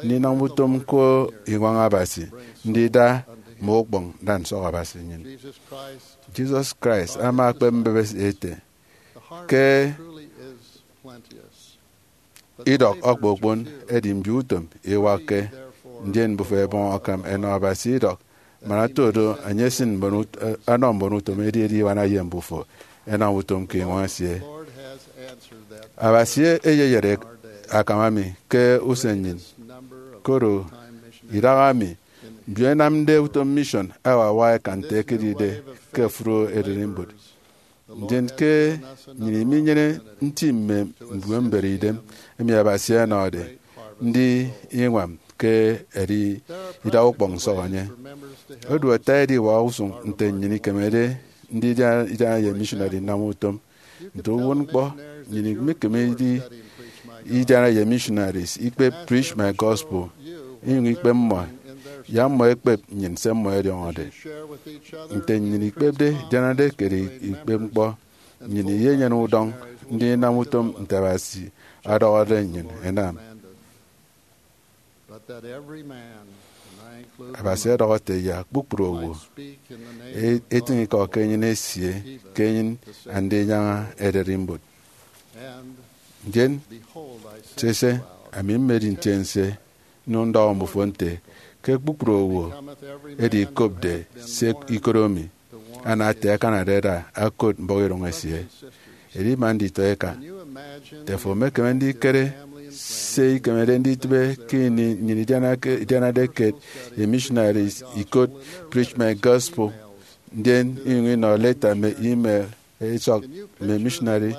ndinam utom ñko iñwañ Abasi, ndida mme ukpọñ nda nsọk Abasi nnyịn. Jesus Christ ama ekpep mbebesi ete ke idọk ọkpọkpon, edi mbio utom iwakke. Ndien mbufo ẹbọñ akam ẹnọ Abasi idọk, man oto do enye esịn mbon ut-, eh, ọnọ mbon utom edi ediwana ye mbufo, ẹnam utom ke iñwañ esie. Abasi eyeyet akam emi ke usen nnyịn, koro idahaemi mbio ẹnamde utom mission awawa ẹkan nte ẹkedide ke ofụri ererimbot. Ndien ke nnyịn iminyene nti mme mbubehe idem emi Abasi ọnọde, ndi iñwam ke ẹdi idak ukpọñ nsọk enye. Odu ata ediwak usụñ nte nnyịn ikemede ndida idiana ye missionary nnam utom. Nte uwụtñkpọ, nnyịn imikemede idiana ye missionaries ikpep Preach My Gospel, inyụñ ikpep mmọ, yak mmọ ẹkpep nnyịn se mmọ ẹdiọñọde. Nte nnyịn ikpepde idianade ke ikpep ñkpọ, nnyịn iyenyene udọñ ndinam utom nte Abasi ọdọhọde nnyịn ẹnam. Abasi ọdọhọ ete yak kpukpru owo e-, etịñ ikọ ke enyịn esie, ke enyịn Andinyaña Ererimbot. Ndien, sese, ami mmedi ntiense, nnyụñ ndọhọ mbufo nte ke kpukpru owo edi ikopde se ikodo mi, ana ata ẹkanade ẹda ẹkot mbọhọidụñ esie. Edi ima nditọ eka. Nte afo emekeme ndikere se ikemede nditịbe ke ini nnyịn idianake, idianade kiet ye missionaries ikot Preach My Gospel, ndien inyụñ inọ leta mme email esọk mme missionary?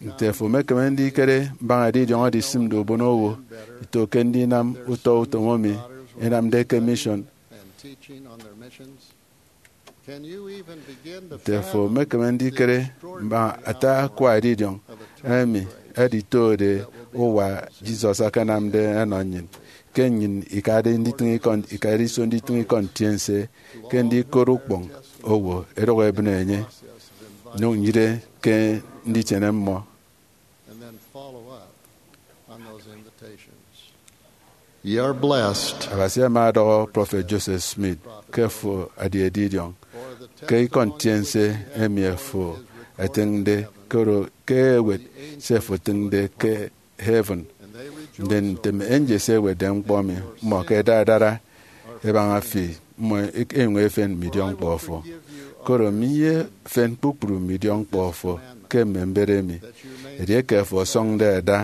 Nte afo emekeme ndikere mbaña edidiọñ oro isịmde ubonowo ito ke ndinam utọ utom emi ẹnamde ke mission? Nte afo emekeme ndikere mbaña ata akwa edidiọñ emi ẹditode uwa Jesus akanamde ẹnọ nnyịn, ke nnyịn ikade nditịñ ikọ, ikade iso nditịñ ikọ ntiense ke ndikot ukpọñ owo ẹdọk ẹbịne enye, nyụñ nyịre ke nditiene mmọ? Ye are blessed. Abasi ama ọdọhọ Prọfet Joseph Smith ke fo adi edidiọñ ke ikọ ntiense emi afo ẹtịñde, koro ke ẹwet se ẹfo etịñde ke heaven. Ndien ntem angels ewetde ñkpọ mi, mmọ ke ẹda ẹdara ẹbaña fi, mmọ ẹnyụñ ẹfen mme idiọkñkpọ fo. Koro mi ye efen kpukpru mme idiọkñkpọ fo ke mme mbet emi, edieke fo ọsọñde ada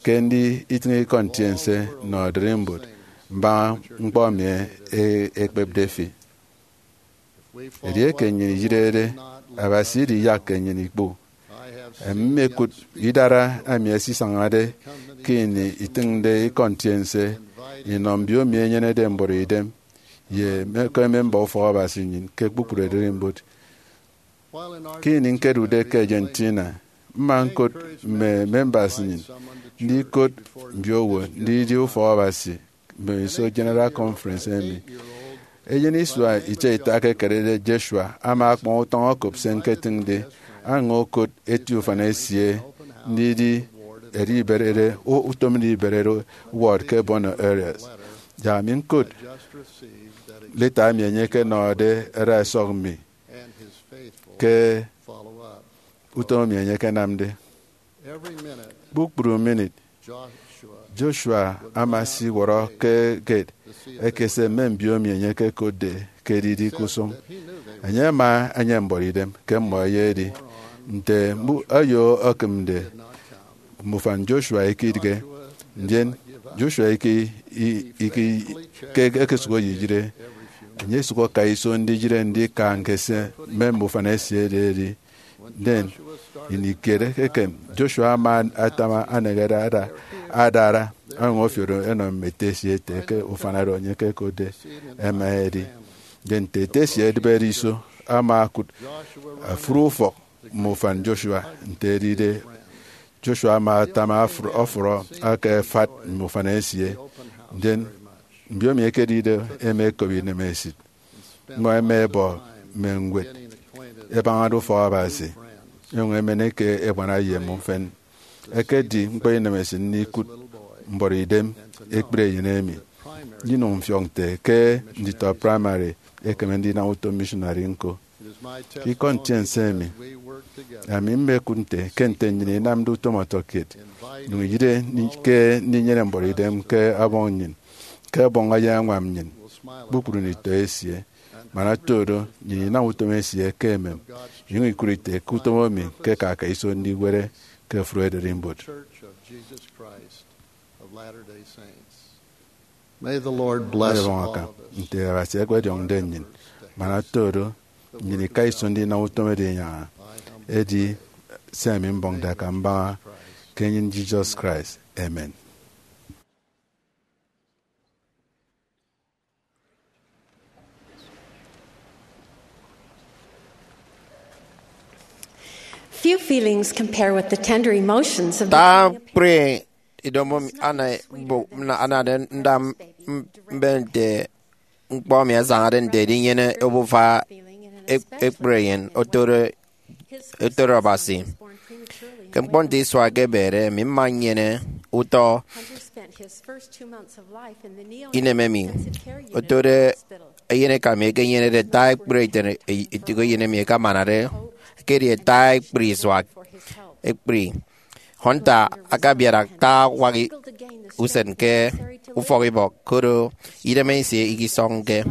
ke ndi itịñ ikọ ntiense nnọ ererimbot mbaña ñkpọ emi e-, ekpepde fi. Edieke nnyịn iyịrede, Abasi idiyakke nnyịn ikpu. Emi mmekụt idara emi ẹsisañade ke ini itịñde ikọ ntiense inọ mbiomi ẹnyenede mbọrọidem ye mme, ke memba ufọk Abasi nnyịn ke kpukpru ererimbot. Ke ini ñkedude ke Argentina, mma ñkot mme members nnyịn ndikot mbiowo ndidi ufọk Abasi mbemiso General Conference emi. Eyen isua itiaita ke ekededi Joshua ama akpọñ utọñ okop se ñketịñde. Aña okot eti ufan esie ndidi edi iberede u-, utom ndiberede ward ke Buenos Aires. Yak ami ñkot leta emi enye ekenọde ẹda ẹsọk mi ke utom emi enye ekenamde. Kpukpru minit, Joshua ama esiwọrọ ke gate ekese mme mbiomi enye ekekotde ke edidi ke usụñ. Enye ama enyene mbọrọidem ke mmọ ẹyedi. Nte mbu-, ayo ekịmde, mme ufan Joshua ikidịghe. Ndien Joshua iki, i-, iki, ke ekesụk eyeyịre, enye esụk aka iso ndiyịre ndika ñkese mme, mme ufan esie ededi. Ndien ini kiet eken, Joshua ama atama aneñede ada, adara, ọnyụñ ọfiọk enọ mme ete esie ete ke ufan oro enye ekekotde ẹma ẹdi. Ndien nte ete esie edịbede iso, ama okụt ofụri ufọk mme ufan Joshua. Nte edide, Joshua ama atama afụr-, ọfụrọ aka efat mme ufan esie. Ndien mbiomi ekedide ema ekop inemesit. Mmọ ẹma ẹbọ mme ñwed ẹbañade ufọk Abasi, ẹnyụñ ẹmen eke ẹbuana ye mmọ mfịn. Ekedi ñkpọ inemesit ndikụt mbọrọidem ekpri eyen emi, ndinyụñ mfiọk nte ke nditọ praịmarị ẹkeme ndinam utom missionary ñko. Ke ikọ ntiense emi, ami mmekụt nte ke nte nnyịn inamde utom ọtọkiet, nyụñ iyịde ni-, ke ndinyene mbọrọidem ke Ọbọñ nnyịn, ke Ọbọñ eyeñwam nnyịn, kpukpru nditọ esie. Man oto do, nnyịn inam utom esie ke emem, inyụñ ikụt ite ke utom emi ke aka aka iso ndiwere ke ofụri ererimbot. May the Lord bless Ọbọñ aka all of us. Nte Abasi ekpediọñde nnyịn, man oto do, nnyịn ika iso ndinam utom edinyaña. Edi se ami mbọñde akam mbaña ke enyịn Jesus Christ. Amen. Few feelings compare with the tender emotions of the Ta joy of kpri idomo mi ana bo-, na-, anade ndam m-, mbe nte ñkpọ mi asañade nte edinyene obufa ek-, ekpri eyen otoro, otoro Abasi. Ke ñkpọ nte isua ke ebede, mi mma nnyene utọ inem emi otode eyen eka mi ekenyenede ata ekpri ete-, ete eyen emi ekamanade, ekedi ata ekpri isua ekpri. Hunter akabiara ata awak i-, usen ke ufọkibọk, koro idem esie ikisọñke.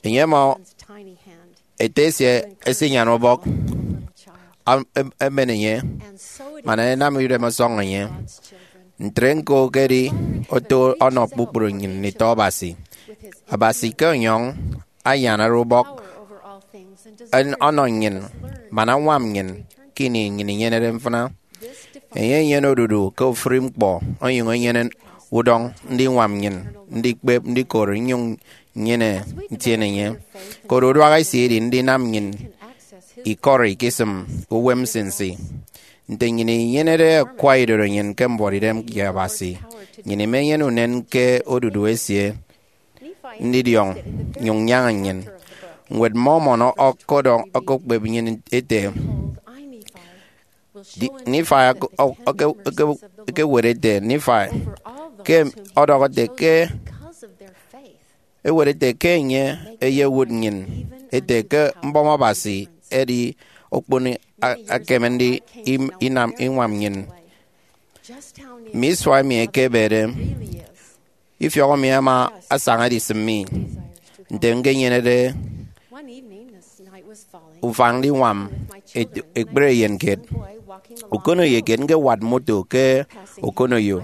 Enye ama ete esie esinyan ubọk, am-, em-, emen enye, man enam idem ọsọñ enye. Ntre ñko ekedi oto ọnọ kpukpru nnyịn nditọ Abasi. Abasi ke ọnyọñ ayanare ubọk en-, ọnọ nnyịn, man añwam nnyịn ke ini nnyịn inyenede mfịna. Enye enyene odudu ke ofụri ñkpọ, onyụñ enyene udọñ ndiñwam nnyịn, ndikpep, ndikot, nnyụñ nnyene ntiene enye. Koro uduak esie edi ndinam nnyịn ikọri ikisịm uwem nsinsi. Nte nnyịn inyenede akwa idorenyin ke mbuọtidem ye Abasi, nnyịn imenyene unen ke odudu esie ndidiọñ nyụñ nyaña nnyịn. Ñwed Mormon ọkọdọñ, ọkọkpep nnyịn ete, Di-, Nifai ọk-, ọk-, ọke-, ọke-, ekewet ete, Nifai, ke ọdọhọ ete ke, ewet ete ke enye eyewụt nnyịn ete ke mbọm Abasi edi okpon a- akeme ndi im- inam iñwam nnyịn. Mme isua emi ẹkebede, ifiọk mi ama asaña edisịm mi nte ñkenyenede ufañ ndiñwam et- ekpere eyen kiet. Ukoneyo kiet ñkewat moto ke Okoneyo.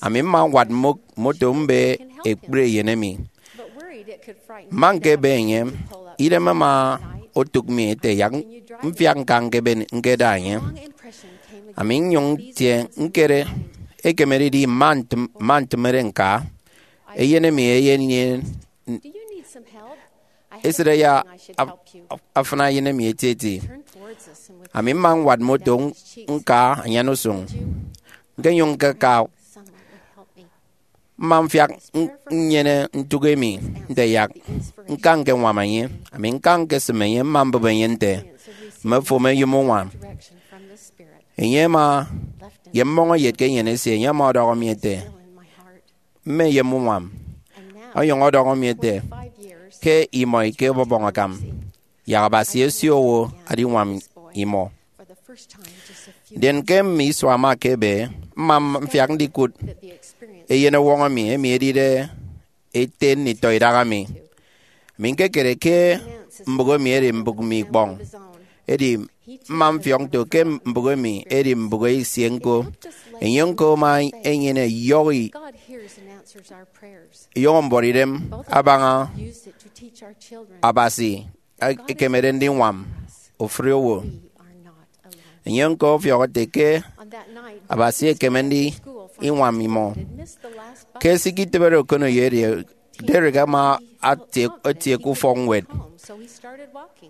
Ami mma ñwat mo- moto mbe ekpere eyen emi. Mma ñkebe enye, idem ama otụk mi ete yak mfiak ñka ñkebe ñkeda enye. Ami nnyụñ ntie ñkere, ekemedidi mma ntịm- mma ntịmede ñka. Eyen emi eyen esịt ya af- af- afịna eyen emi etieti. Ami mma ñwat moto ñka anyan usụñ. Ñkenyụñ ñkaka, mma mfiak n- nnyene ntụk emi nte yak ñka ñkeñwam enye. Ami ñka ñkesịm enye, mma mbụp enye nte mme fom eyom uñwam. Enye ama ye mmọñeyet ke enyịn esie, enye ama ọdọhọ mi ete, mme eyom uñwam. Onyụñ ọdọhọ mi ete, ke imọ ike ọbọbọñ akam, yak Abasi esie owo adiñwam imọ. Ndien ke mme isua ama ekebe, mma mfiak ndikụt eyenọwọñ emi, emi edide ete nditọ idaha mi. Ami ñkekere ke mbụk emi edi mbụk mi ikpọñ, edi mma mfiọk nto ke mbụk emi edi mbụk esie ñko. Enye ñko ama enyene iyọhọ i- iyọhọ mbuọtidem abaña Abasi ekemede ndiñwam ofụri owo. Enye ñko ọfiọk ete ke Abasi ekeme ndiñwam imọ. Ke sikitịbede Okoneyo edi, Derek ama atie- etie ke ufọkñwed.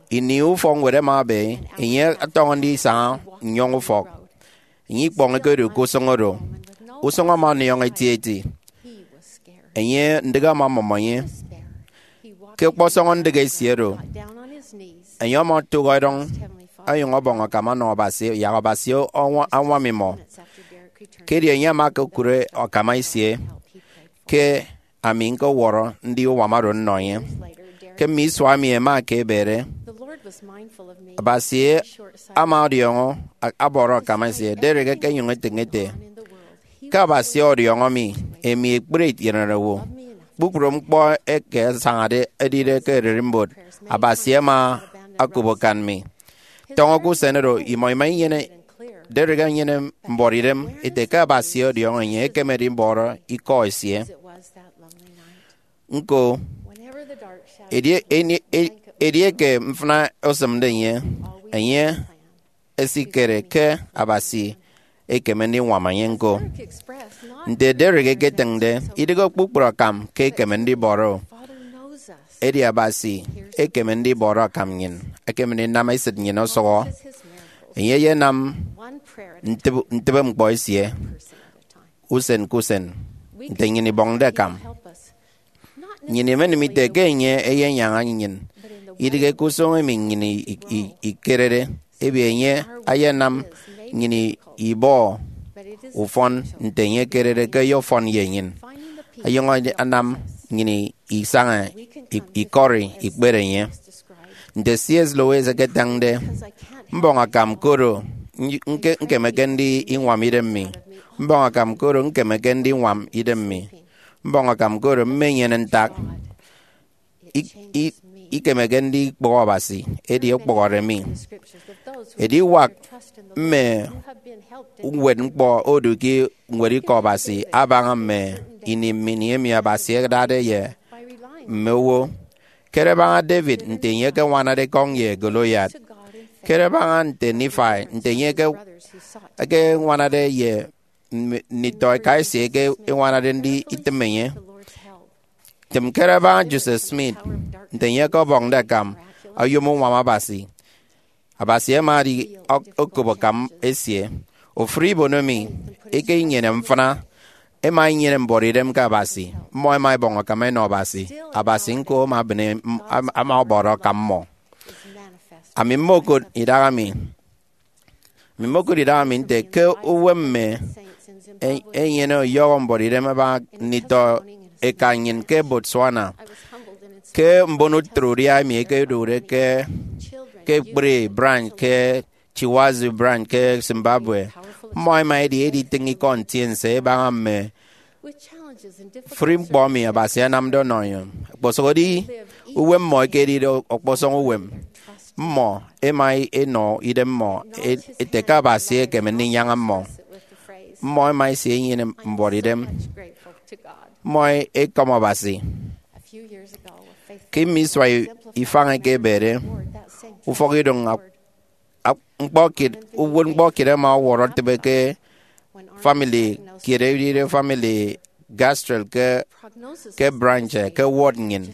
Ini ufọkñwed ama ebe, enye ọtọñọ ndisaña nnyọñ ufọk. Enye ikpọñọke odu ke usụñ oro. Usụñ ama ọniọñ etieti. Enye ndịk ama ọmọmọ enye. Ke ọkpọsọñọ ndịk esie oro, enye ama otụk edọñ onyụñ ọbọñ akam ọnọ Abasi, yak Abasi ọñwa- añwam imọ. Ke edi enye ama okụre akam esie, ke ami ñkọwọrọ ndi uwam oro nnọ enye. Ke mme isua emi ẹma ẹkebede, Abasi ama ọdiọñọ a- abọrọ akam esie. Derek ekenyụñ etịñ ete, ke Abasi ọdiọñọ mi, emi ekpri itienede owo, kpukpru ñkpọ eke asañade edide ke ererimbot, Abasi ama okop akan mi. Tọñọ ke usen oro, imọ ima inyene, Derek enyene mbuọtidem ete ke Abasi ọdiọñọ enye ekeme ndibọrọ ikọ esie. Ñko, edi- edi- edieke mfịna osịmde enye, enye esikere ke Abasi ekeme ndiñwam enye ñko. Nte Derek eketịñde, idịghe kpukpru akam ke ekeme ndibọrọ, edi Abasi ekeme ndibọrọ akam nnyịn, ekeme ndinam esịt nnyịn ọsọhọ. Enye eyenam ntịbe- ntịbe ñkpọ esie usen ke usen nte nnyịn ibọñde akam. Nnyịn imenịm ite ke enye eyenyaña nnyịn, idịghe ke usụñ emi nnyịn i- i- ikerede, ebe enye ayanam nnyịn ibọ ufọn nte enye ekerede ke ọyọfọn ye nnyịn, ọyọñọ anam nnyịn isaña i- ikọri ikpere enye. Nte C S Lewis eketịñde, mbọñ akam koro ñkemeke ndiñwam idem mi. Mbọñ akam koro ñkemeke ndiñwam idem mi. Mbọñ akam koro mmenyene ntak. I- i- ikemeke ndikpọhọ Abasi, edi okpọhọde mi. Ediwak mme uwetñkpọ odu ke ñwed Ikọ Abasi abaña mme ini mmini emi Abasi adade ye mme owo. Kere baña David nte enye ekeñwanade ekọñ ye Goliath. Kere baña nte Nephi nte enye eke- ekeñwanade ye mme- nditọ eka esie eke eñwanade nditịm enye. Tịm kere baña Joseph Smith nte enye ọkọbọñde akam oyom uñwam Abasi. Abasi ama edi ok- okop akam esie. Ofụri ibono emi eke inyene mfịna, ẹma inyene mbuọtidem ke Abasi. Mmọ ẹma ẹbọñ akam ẹnọ Abasi. Abasi ñko ama ebịne- ama ọbọrọ akam mmọ. Ami mmokụt idaha mi. Ami mmokụt idaha mi nte ke uwem mme e- enyene ọyọhọ mbuọtidem abaña nditọ eka nnyịn ke Botswana. Ke mbon utraudia emi ẹkedụkde ke ke ekpri branch ke Chiwazu Branch ke Zimbabwe. Mmọ ẹma ẹdi editịñ ikọ ntiense ẹbaña mme fri ñkpọ emi Abasi anamde ọnọ enye. Okposụkedi uwem mmọ ekedide ọkpọsọñ uwem, mmọ ẹma ẹnọ idem mmọ ete ke Abasi ekeme ndinyaña mmọ. Mmọ ẹma ẹsịn enyene mbuọtidem. Mmọ ẹkọm Abasi. Ke mme isua ifañ eke ebede, ufọkidụñ ñkpọ kiet, uwụtñkpọ kiet ama ọwọrọ etịbe ke famili kiet, edide famili Gastrell ke, ke branch ke ward nnyịn.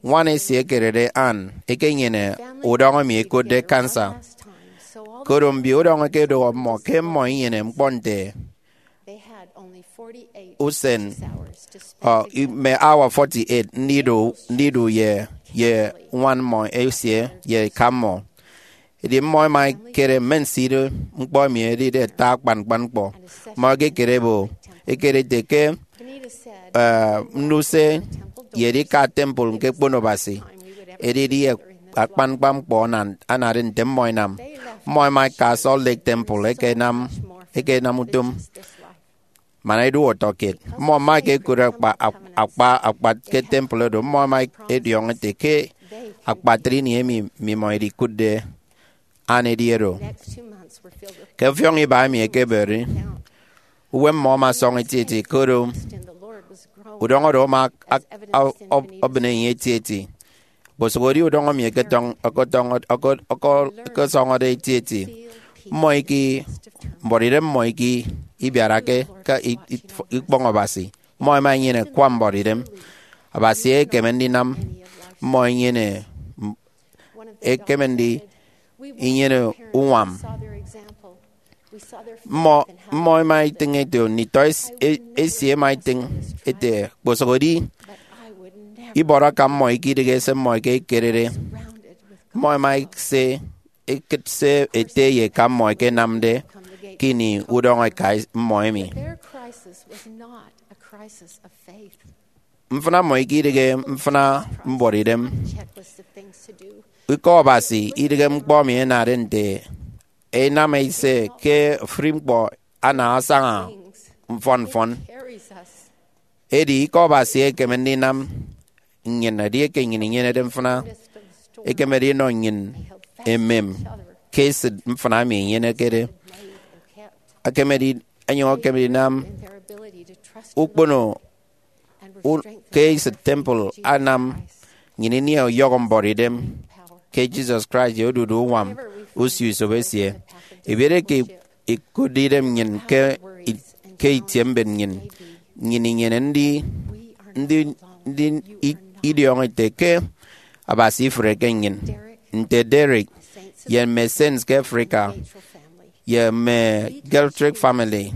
Ñwan esie ekededi Ann ekenyene udọñọ emi ẹkotde cancer. Koro mbio udọñọ ẹkedọhọ mmọ ke mmọ inyene ñkpọ nte usen, ọ, mme hour forty-eight ndidu, ndidu ye, ye ñwan mmọ esie ye eka mmọ. Edi mmọ ẹma ẹkere mme nsido ñkpọ emi ẹdide ata akpan ñkpọ. Mmọ ẹkekere ebo, ẹkere ete ke, eh, nnuse ye edika temple ñkekpono Abasi edidi akpan ñkpọ anade nte mmọ ẹnam. Mmọ ẹma ẹka Salt Lake Temple ẹkenam, ẹkenam utom man ẹdu ọtọkiet. Mmọ ẹma ẹkekụt akpa, akpa akpat ke temple oro. Mmọ ẹma ẹdiọñọ ẹte ke akpatre ini emi mmimọ idikụtde Ann edi oro. Ke ọfiọñ iba emi ẹkeberi, uwem mmọ ama ọsọñ etieti, koro udọñọ oro ama ak-, ak-, ọ-, ọbịne enye etieti. Kposụkedi udọñọ emi ẹketọñ-, ẹketọñ-, ẹke-, ẹke-, ẹkesọñọde etieti, mmọ iki, mbuọtidem mmọ iki ibiarake ke i-, i-, ikpọñ Abasi. Mmọ ẹma ẹnyene akwa mbuọtidem Abasi ekeme ndinam mmọ ẹnyene, ekeme ndi inyene uñwam. Mmọ, mmọ ẹma ẹtịñ ete, nditọ es-, e-, esie ẹma ẹtịñ ete, kposụkedi ibọrọ akam mmọ eke idịghe se mmọ eke ikerede. Mmọ ẹma ẹse, ẹkụt se ete ye eka mmọ ẹkenamde ke ini udọñọ eka mmọ emi. Mfịna mmọ eke idịghe mfịna mbuọtidem. Ikọ Abasi idịghe ñkpọ emi ẹnade nte ẹnam ẹse ke ofụri ñkpọ ana asaña mfọn mfọn. Edi ikọ Abasi ekeme ndinam nnyịn, edieke nnyịn inyenede mfịna, ekemede inọ nnyịn emem ke esịt mfịna emi inyenekede. Ekemede, enyụñ ekemede inam ukpono u-, ke esịt temple anam nnyịn ini ọyọhọ mbuọtidem ke Jesus Christ ye odudu uñwam usio-isop esie. Ibiere ke ikụtde idem nnyịn ke i-, ke itie mbet nnyịn, nnyịn inyene ndi, ndi, ndi i-, idiọñọ ete ke Abasi ifreke nnyịn, nte Derek ye mme Saints ke Africa, ye mme Geltrick family.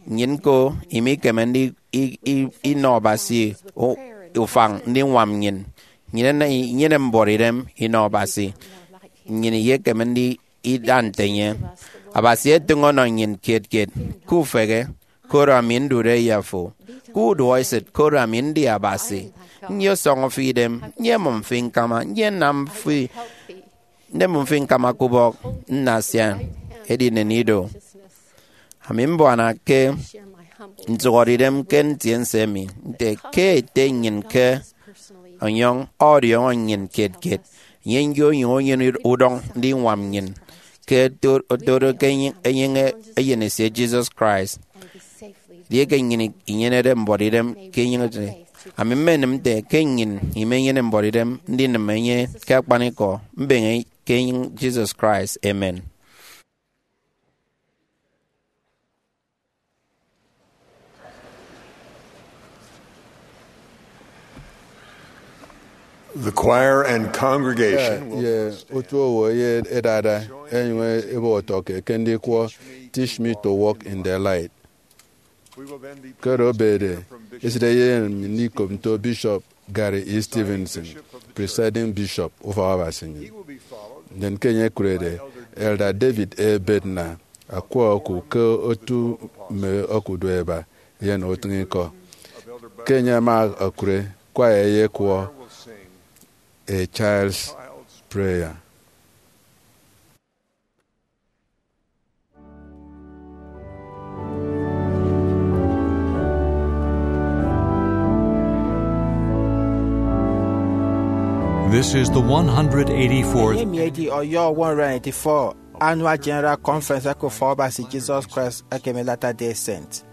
Nnyịn ñko imikeme ndi i-, i-, inọ Abasi u-, ufañ ndiñwam nnyịn. Nnyịn ena-, inyene mbuọtidem inọ Abasi. Nnyịn iyekeme ndi ida nte enye. Abasi etịñ ọnọ nnyịn kiet kiet. Kufehe, koro ami ndude ye afo. Kuduọesịt, koro ami ndi Abasi. Nyọsọñọ fi idem, nyemụm fi ñkama, nyenam fi, nyemụm fi ñkama ke ubọk, nnasia edinen ido. Ami mbuana ke ntụhọde idem ke ntiense emi, nte ke ete nnyịn ke ọnyọñ ọdiọñọ nnyịn kiet kiet, enye njo onyụñ enyene udọñ ndiñwam nnyịn ke oto-, otode ke enye-, enyeñe eyen esie Jesus Christ. Edieke nnyịn inyenede mbuọtidem ke enyeñede, ami mmenịm nte ke nnyịn imenyene mbuọtidem ndinịm enye ke akpanikọ, mbeñe ke enyịñ Jesus Christ. Amen. The choir and congregation will ye otu owo ye edada enyụñ ebọ ọtọkiet ke ndikwọ Teach Me to Walk in the Light. Koro obede esịt eyen mi ndikop nto Bishop Gary E. Stevenson, Presiding Bishop, Ufọk Abasi nnyịn. Ndien ke enye ekụrede, Elder David A. Bednar, akwa oku ke otu mme okudueba, eyen utịñikọ. Ke enye ama okụre, kwaya eyekwọ A Child's Prayer. This is the one hundred eighty-fourth. Enye emi edi ọyọ one hundred eighty-four Annual General Conference eke Ufọkabasi Jesus Christ eke emi Latter-day Saint.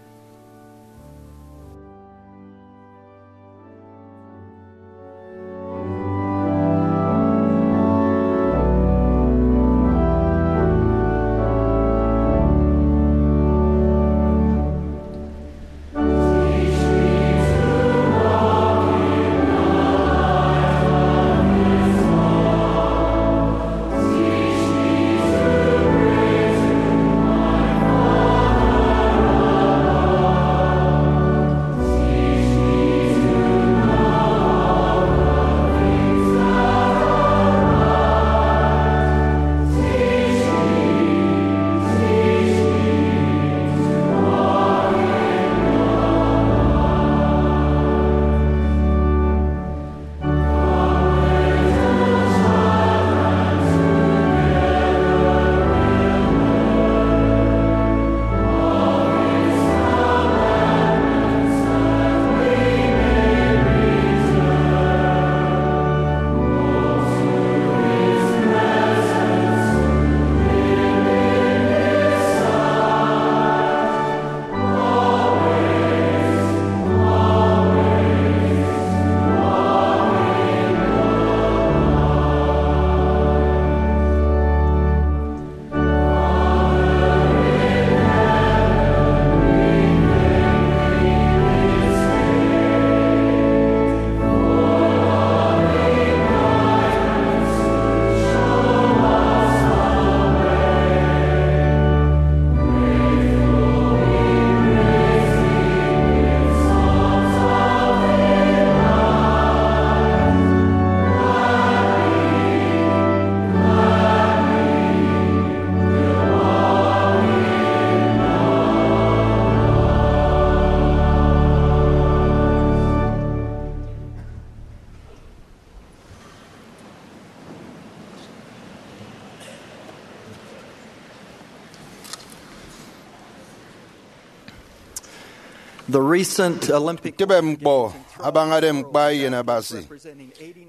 The recent Olympic Ntịbe ñkpọ abañade ñkpa Eyen Abasi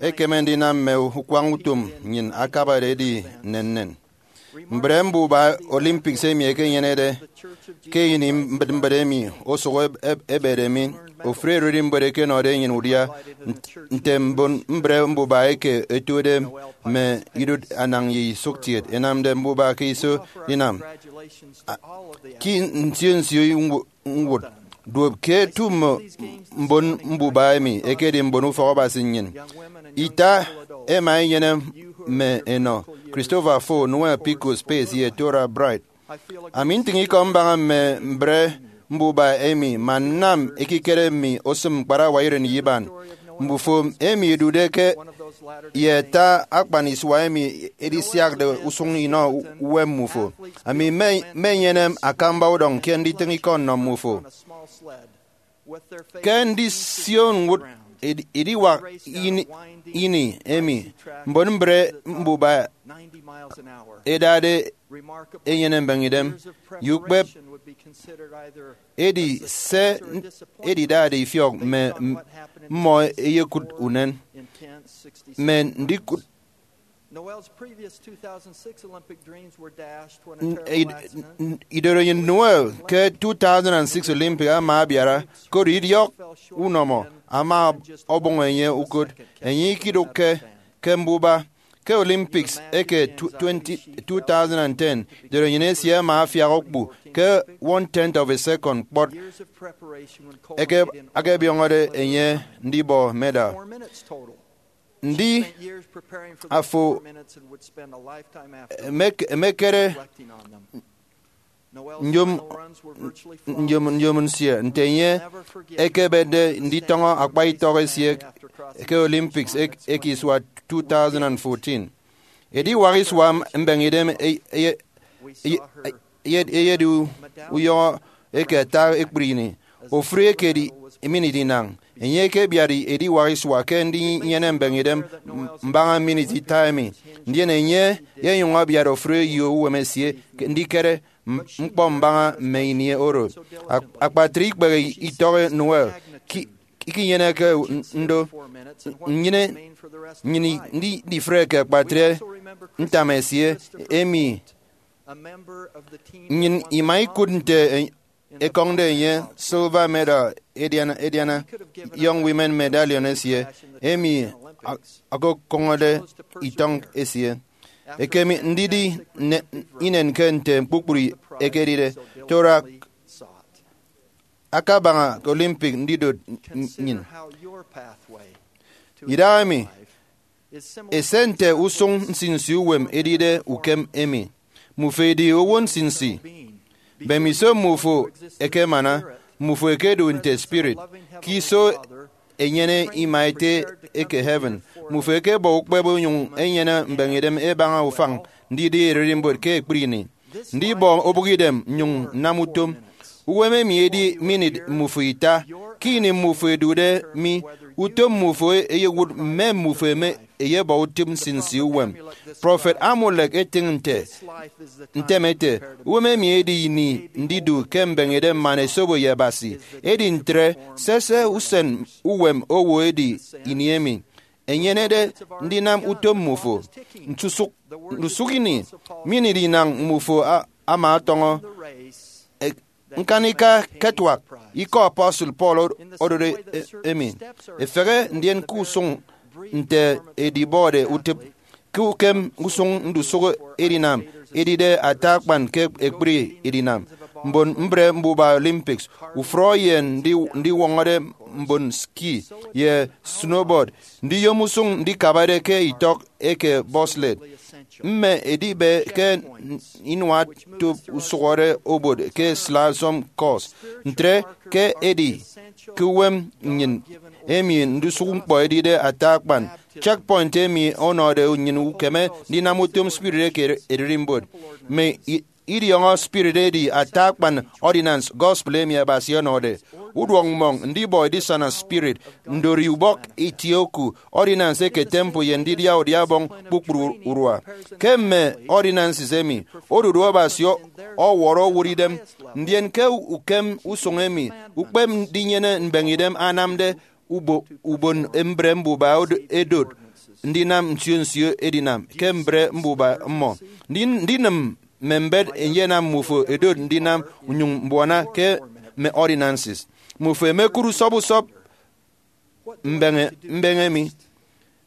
ekeme ndinam mme ukwañ utom nnyịn akabade edi nnennen. Mbre mbuba Olympics emi ekenyenede ke ini mbịtmbịt emi osụk eb- eb- ebede mi, ofụri ererimbot ekenọde enyịn udia nt- nte mbon mbre mbuba eke ẹtude mme idụt anañ ye isụkkiet ẹnamde mbuba ke iso inam. A- Ke nsio nsio ñwu- ñwụt, duop ke otu mme mbon mbuba emi ẹkedi mbon ufọkabasi nnyịn. Ita ẹma ẹnyene mme enọ, Christopher Foh, Noel Pikus Pace, ye Torah Bright. Ami ntịñ ikọ mbaña mme mbre mbuba emi man nnam ekikere mi osịm ñkparawa iren ye iban. Mbufo emi idude ke ye ata akpan isua emi edisiakde usụñ inọ uwem mmufo. Ami mme- mmenyene akamba udọñ ke nditịñ ikọ nnọ mmufo. Ke ndisio ñwụt edi- ediwak ini, ini emi mbon mbre mbuba ẹdade enyene mbeñidem ye ukpep, edi se edidade ifiọk mme m- mmọ eyekụt unen. Mme ndikụt Noel's previous two thousand six Olympic dreams were dashed when a n- terrible id- accident n- idorenyin Noel ke two thousand six Olympic ama abiara, koro idiọk unọmọ ama ọbọñ enye ukot. Enye ikidụkke ke mbuba. Ke Olympics eke tw- twenty two thousand ten, idorenyin esie ama afiak okpu ke one tenth of a second kpọt eke akebiọñọde enye ndibọ medal. Ndi afo emek- emekere nyom nyom nyom nsie nte enye ekebetde nditọñọ akpa itọk esie ke Olympics ek- eke isua two thousand fourteen. Ediwak isua mbeñidem eye- eye- eye- eyedi uyọhọ eke ata ekpri ini. Ofụri ekedi minit inañ, enye ekebiat ediwak isua ke ndinyene mbeñidem mbaña minit ita emi. Ndien enye enyụñ abiat ofụri eyo uwem esie ke ndikere m- ñkpọ mbaña mme ini oro. Ak- akpatre ikpehe itọk Noel ki- ikinyeneke ndo. nnyịn nnyịn ndi- ndifreke kpatre ntam esie emi. Nnyịn ima ikụt nte ekọñde enye silver medal ediana ediana Young Women Medallion esie, emi a- okokọñọde itọñ esie. Ekeme ndidi ne- inen ke nte kpukpru ekedide, Torah akabaña Olympic ndidot nnyịn. Idahaemi, ese nte usụñ nsinsi uwem edide ukem emi. Mmufo edi owo nsinsi. Mbemiso mmufo ẹkemana, mmufo ẹkedu nte spirit ke iso enyene ima Ete eke heaven. Mmufo ẹkebọ ukpep onyụñ enyene mbeñeidem ẹbaña ufañ ndidi ererimbot ke ekpri ini. Ndibọ obụkidem nnyụñ nnam utom. Uwem emi edi minit mmufo ita. Ke ini mmufo ẹdude mi, utom mmufo eyewụt mme mmufo eme eyebọ utịp nsinsi uwem. Prọfet Amulek etịñ nte ntem ete, uwem emi edi ini ndidu ke mbeñeidem man esobo ye Abasi. Edi ntre, sese usen uwem owo edi ini emi enyenede ndinam utom mmufo. Ntusụk ndusụk ini, minit inañ mmufo a- ama ọtọñọ e- ñkanika ke ẹtuak ikọ apostle Paul odode e- emi. Efehe ndien ke usụñ nte edibọde utịp ke ukem usụñ ndusụk edinam edide ata akpan ke ekpri edinam mbon mbre mbuba Olympics, ufrọ ye ndi- ndiwọñọde mbon ski ye snowboard, ndiyom usụñ ndikabade ke itọk eke bobsled, mme edibe ke inuatop usụhọre obot ke slalom course. Ntre ke edi ke uwem nnyịn emi ndusụk ñkpọ edide ata akpan checkpoint emi ọnọde nnyịn ukeme ndinam utom spirit eke ererimbot. Mme i- idiọñọ spirit edi ata akpan ordinance gospel emi Abasi ọnọde. Uduọk mmọñ, ndibọ edisana spirit, ndori ubọk itie oku, ordinance eke temple ye ndidia udia ọbọñ kpukpru urua. Ke mme ordinances emi, odudu Abasi ọ- ọwọrọ owụt idem, ndien ke ukem usụñ emi ukpep ndinyene mbeñeidem anamde ubo- ubon mbre mbuba od- edot ndinam nsio nsio edinam ke mbre mbuba mmọ. Ndi- ndinịm mme mbet eyenam mmufo edot ndinam unyụñ mbuana ke mme ordinances. Mmufo emekụt usọp usọp mbeñe mbeñe mi,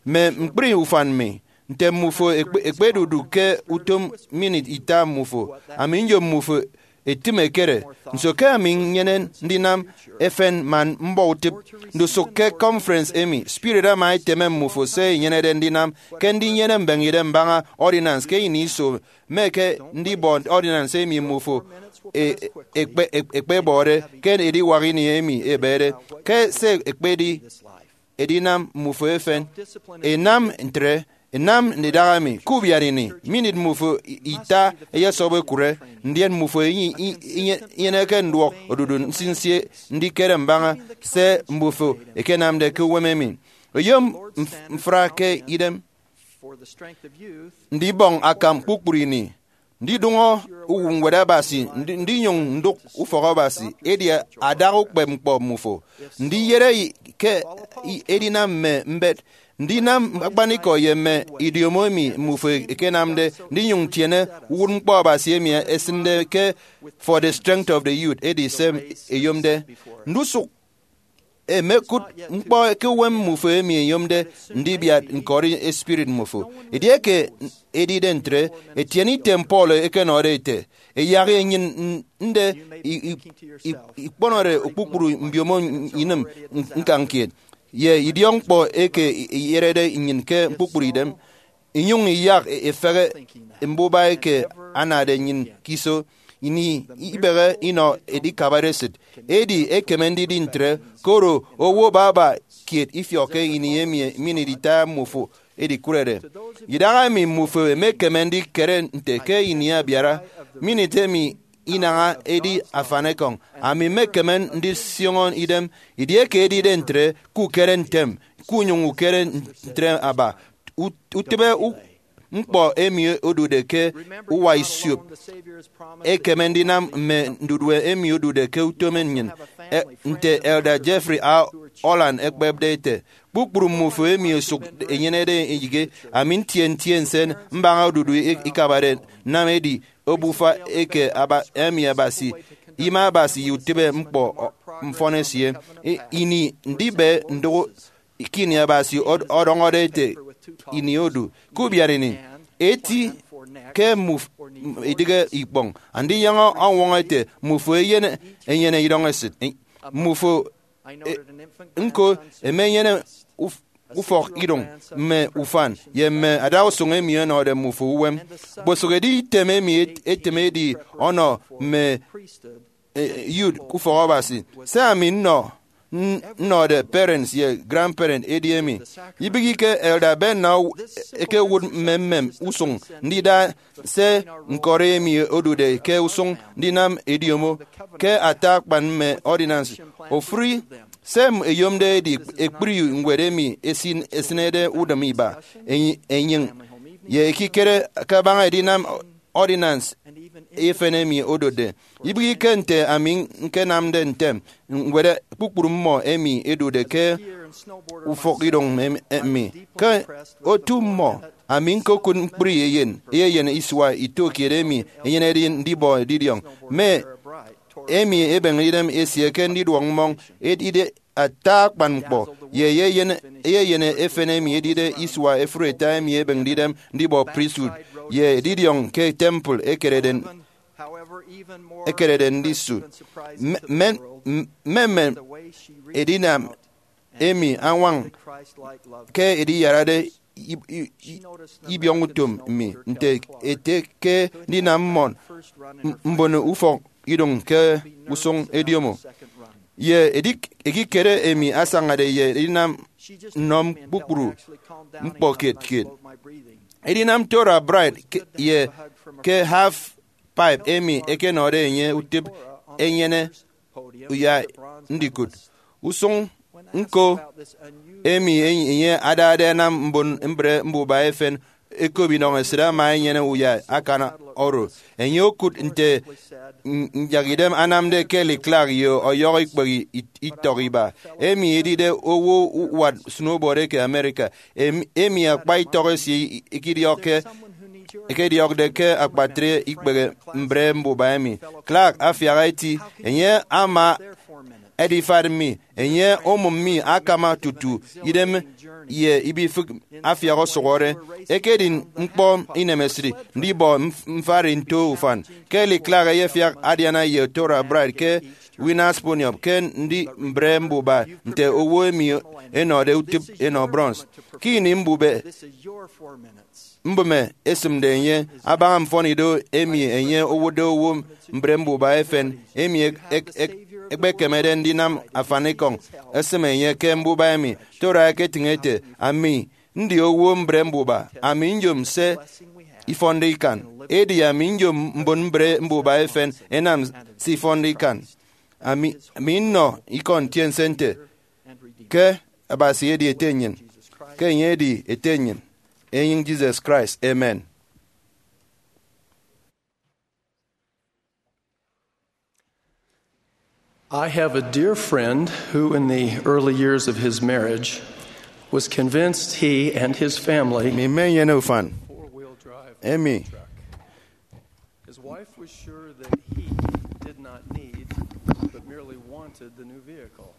mme ñkpri ufan mi, nte mmufo ekpe- ekpedudu ke utom minit ita mmufo, ami nyom mmufo etịm ekere, nso ke ami nnyene ndinam efen man mbọ utịp? Ndusụk ke conference emi, spirit ama eteme mmufo se inyenede ndinam ke ndinyene mbeñeidem mbaña ordinance ke ini iso, mme ke ndibọ ordinance emi mmufo e- ekpe- ekpebọde ke ediwak ini emi ebede, ke se ekpedi edinam mmufo efen. Inam ntre, inam ndidaha emi ke ubiat ini, minit mmufo ita eyesọp ekụre, ndien mmufo inye- inye- inyeneke nduọk odudu nsinsi ndikere mbaña se mmufo ekenamde ke uwem emi. Oyom mf- mfra ke idem ndibọñ akam kpukpru ini, ndidụñọ uwụtñwed Abasi, ndi- ndinyụñ ndụk ufọk Abasi, edi adaha ukpep ñkpọ mmufo, ndiyere i- ke i- edinam mme mbet, ndinam akpanikọ ye mme idiomo emi mmufo ekenamde, ndinyụñ ntiene uwụtñkpọ Abasi emi esịnde ke for the strength of the youth, edi se eyomde. Ndusụk emekụt ñkpọ ke uwem mmufo emi eyomde ndibiat ñkọri espirit mmufo. Edieke edide ntre, etiene item Paul ekenọde ete, eyak enyịn nde i- i- i- ikpọnọde kpukpru mbiomo inịm ñkañ kiet, ye idiọkñkpọ eke iyerede nnyịn ke kpukpru idem, inyụñ iyak efehe mbuba eke anade nnyịn ke iso. Ini ibehe inọ edikabade esịt, edi ekeme ndidi ntre, koro owo baba kiet ifiọkke ini emi minit ita mmufo edikụrede. Idahaemi mmufo emekeme ndikere nte ke ini abiara, minit emi inaha edi afanekọñ. Ami mmekeme ndisioño idem, edieke edide ntre, ke ukere ntem, kunyụñ ukere ntre aba. Ut- utịbe u- ñkpọ emi odude ke uwa isiop ekeme ndinam mme ndudue emi odude ke utom nnyịn. E- nte Elder Jeffrey A. Holland ekpepde ete, Kpukpru mmufo emi osụk enyenede eyịghe, ami ntie ntie nsen mbaña odudu ikabade nnam edi obufa eke emi Abasi, ima Abasi ye utịbe ñkpọ mfọn esie. Ini ndibe ndụk ke ini Abasi ọdọñọde ete ini odu. Ke ubiareini, eti ke idịghe ikpọñ, andinyaña ọñwọñọ ete mmufo eyen enyene idọñ esịt. Mmufo nko ẹmenyene ufọk idụñ mme ufan ye mme adausụñ emi ẹnọde mmufo uwem. Kposụkedi item emi etem edi ọnọ mme youth ke ufọk Abasi. Se ami nnọ nnọde parents ye grandparents edi emi. Ibịghike, Elder Ben na ekewụt mmemmem usụñ ndida se ñkọri emi odude ke usụñ ndinam ediomo ke ata akpan mme ordinance. Ofụri se ẹyomde edi ekpri ñwed emi esịnede udịm iba, enyịñ, ye ekikere kabaña edinam ordinance efen emi odotde. Ibịghike, nte ami ñkenamde ntem, ñwed kpukpru mmọ emi ẹdude ke ufọkidụñ emi. Ke otu mmọ, ami ñkokụt ñkpri eyen eyeyen isua ito kiet emi enyenede ndibọ edidiọñ, mme emi ebeñede idem esie ke ndiduọk mmọñ edide ata akpan ñkpọ, ye eyeyen eyeyen efen emi edide isua efuri ita emi ebeñede idem ndibọ priesthood ye edidiọñ ke temple ekerede ekerede ndisu. Mme mme edinam emi añwañ ke ediyarade ibiọñ utom mi nte ete ke ndinam mmọ mbon ufọk idụñ ke usụñ ediomo. Ye ekikere emi asañade ye edinam nnọm kpukpru ñkpọ kiet kiet. Edinam Torah Bride ye ke half pipe emi ẹkenọde enye utịp enyene uyai ndikụt usụñ ñko emi enye adade anam mbon mbre mbuba efen ẹkop idọñ esịt ama enyene uyai akan oro. Enye okụt nte nyak idem anamde Kelly Clark ye ọyọhọ ikpehe itọk iba, emi edide owo uwat snowboard eke America, emi akpa itọk esie ikidiọkke ekediọkde ke akpatre ikpehe mbre mbuba emi. Clark afiak eti, enye ama edifat mi, enye omụm mi akama tutu idem ye ibifịk afiak ọsụhọre. Ekedi ñkpọ inemesịt ndibọ mfari nto ufan. Kelly Clark eyefiak adiana ye Torah Bride ke Winners Poniard ke ndi mbre mbuba nte owo emi ẹnọde utịp enọ bronze. Ke ini mbube mbụme esịmde enye abaña mfọnido emi enye owụtde owo mbre mbuba efen emi ẹkpekemede ndinam afanikọñ esịm enye ke mbuba emi, Torah eketịñ ete, ami ndi owo mbre mbuba, ami nyom se ifọnde ikan, edi ami nyom mbon mbre mbuba efen ẹnam se ifọnde ikan. Ami nnọ ikọ ntiense nte ke Abasi edi Ete nnyịn, ke enye edi Ete nnyịn, enyịñ Jesus Christ. Amen. I have a dear friend who, in the early years of his marriage, was convinced he and his family Mme enyene ufan emi. His wife was sure that he did not need, but merely wanted the new vehicle.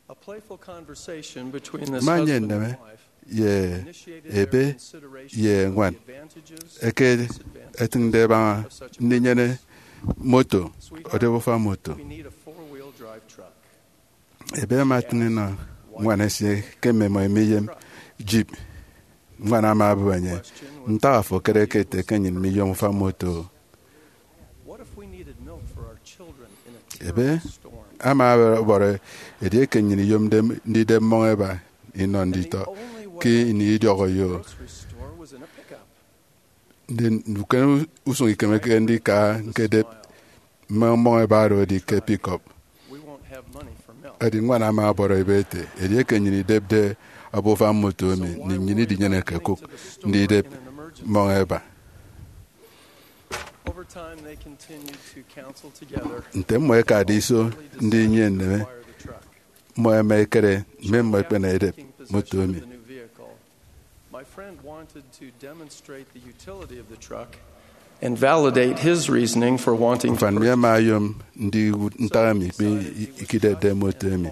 A playful conversation between this Manye husband nneme and wife ye initiated their ebe consideration ye of ñwan the advantages eke and disadvantages etịñde baña of such a ndinyene moto, ọdọbufa moto. We need a four-wheel drive truck. Ebe ama atịñ inọ ñwan esie ke mmimọ imiyem jeep. Ñwan ama abụp enye, ntak afo ekere ke ete ke nnyịn miyom ufan moto? Ebe ama ọbọrọ edieke nnyịn iyomde ndidep mmọñ eba inọ nditọ ke ini idiọk oyo. Ndi ukem usụñ ikemeke ndika ñkedep mme mmọñ eba oro edi ke pickup? Edi ñwan ama ọbọrọ ebe ete, edieke nnyịn idepde ọbọ ufan moto emi, nnyịn idinyeneke kụk ndidep mmọñ eba. Nte mmọ ẹkade iso ndinyene nneme, mmọ ẹma ẹkere mme mmọ ẹkpena edep moto emi. My friend wanted to demonstrate the utility of the truck and validate his reasoning for wanting to Ufan mi purchase. Ama oyom ndiwụt ntak emi ikpe ikidepde moto emi.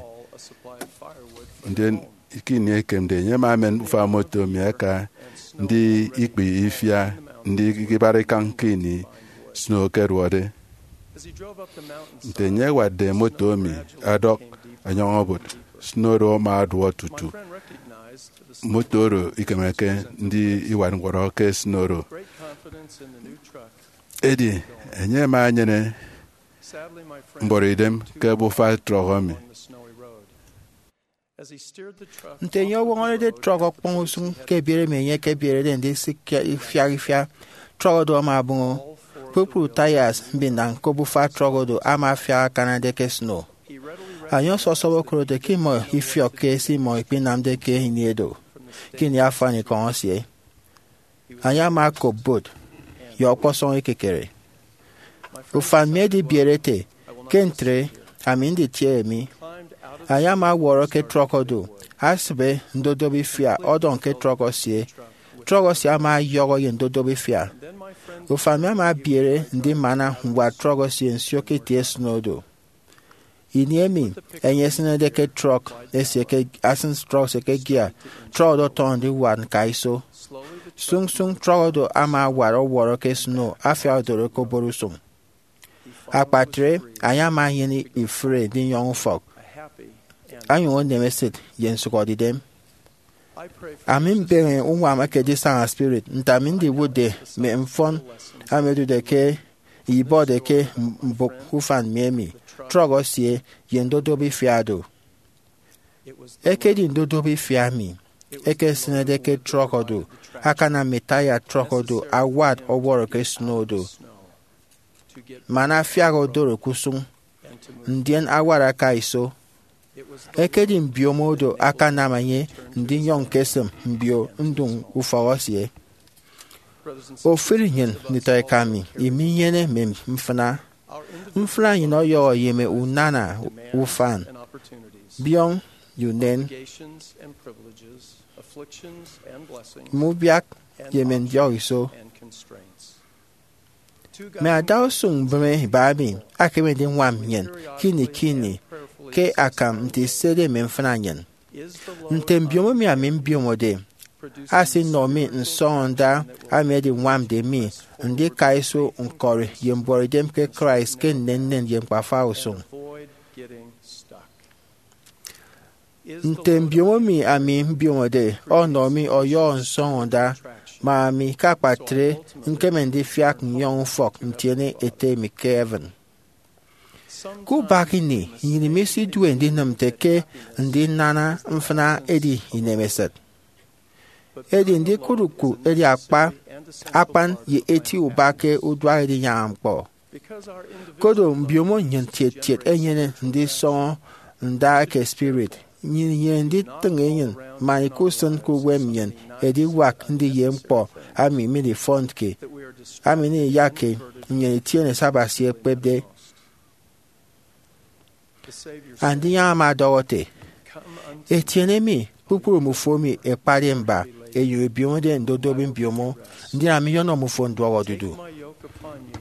Ndien ke ini ekemde, enye ama emen ufak moto emi aka ndi ikpe ifia, ndi ikibare ikañ ke ini snow ekeduọde. Nte enye ewatde moto emi ọdọk ọnyọñ obot, snow oro ama aduọ tutu moto oro ikemeke ndi iwat ñwọrọ ke snow oro. Edi enye ama enyene mbuọtidem ke obufa trọk emi. Nte enye ọwọñọrede trọk ọkpọñ usụñ ke ebiere emi enye ekebierede ndisịk ke ifiak ifiak, trọk oro ama abụñọ. Kpukpru tires mbinañ ke obufa trọk oro ama afiak akanade ke snow. Enye ọsọsọp okodote ke imọ ifiọkke se imọ ikpinamde ke ini edo, ke ini afanikọñ esie. Enye ama okop bot ye ọkpọsọñ ekekere. Ufan mi edibiere ete, ke ntre, ami nditiene mi. Enye ama ọwọrọ ke trọk oro, asịbe ndodobo ifia ọdọñ ke trọk esie. Trọk esie ama ọyọhọ ye ndodobo ifia. Ufan mi ama ebiere ndimana ñwat trọk esie nsio ke itie snow oro. Ini emi enye esịnede ke trọk esie ke, asịn trọk esie ke gear, trọk oro ọtọñọ ndiwat ñkaiso. Sụñsụñ trọk oro ama awat ọwọrọ ke snow afiak odoro ke obot usụñ. Akpatre, enye ama enyene ifụre ndinyọñ ufọk, onyụñ onem esịt ye nsụhọdeidem. Ami mbeñe uñwam eke edisana spirit nte ami ndiwụtde mme mfọn emi ẹdude ke ibọde ke mbụk ufan mi emi, trọk esie, ye ndodobo ifia do. Ekedi ndodobo ifia emi ekesịnede ke trọk oro akanam mme taya trọk oro awat ọwọrọ ke snow oro, man afiak odoro ke usụñ, ndien awat aka iso. Ekedi mbiomo oro akanam enye ndinyọñ ñkesịm mbio ndụñ ufọk esie. Ofụri nnyịn nditọeka mi, iminyene mme mfịna. Mfịna nnyịn ọyọhọ ye mme unana, ufan, biọñ ye unen, mme ubiak ye mme ndiọk iso. Mme adausụñ mbịme iba emi akeme ndiñwam nnyịn ke ini ke ini ke akam nte isede mme mfịna nnyịn. Nte mbiomo mi ami mbiomode asinọ mi nsọñọnda emi ediñwamde mi ndika iso ñkọri ye mbuọtidem ke Christ ke nnennen ye ñkpafa usụñ? Nte mbiomo mi ami mbiomode ọnọ mi ọyọhọ nsọñọnda, ma ami ke akpatre ñkeme ndifiak nnyọñ ufọk ntiene Ete mi ke heaven? Ke ubak ini, nnyịn misidue ndinịm nte ke ndinana mfịna edi inemesịt. Edi ndikụt uku edi akpa, akpan ye eti uba ke uduak edinyaña ñkpọ. Koro mbiomo nnyịn tiet tiet enyene ndisọñọ nda eke spirit, nnyịn inyene nditịñ enyịn man ikusịn ke uwem nnyịn ediwak ndiye ñkpọ emi midifọnke, emi iyakke nnyịn itiene se Abasi ekpepde. Andinyaña ama ọdọhọ ete, etiene mi, kpukpru mmufo emi ẹkpade mba, ẹnyụñ ẹbiomode ndodobi mbiomo, ndien ami nyọnọ mmufo nduọk odudu.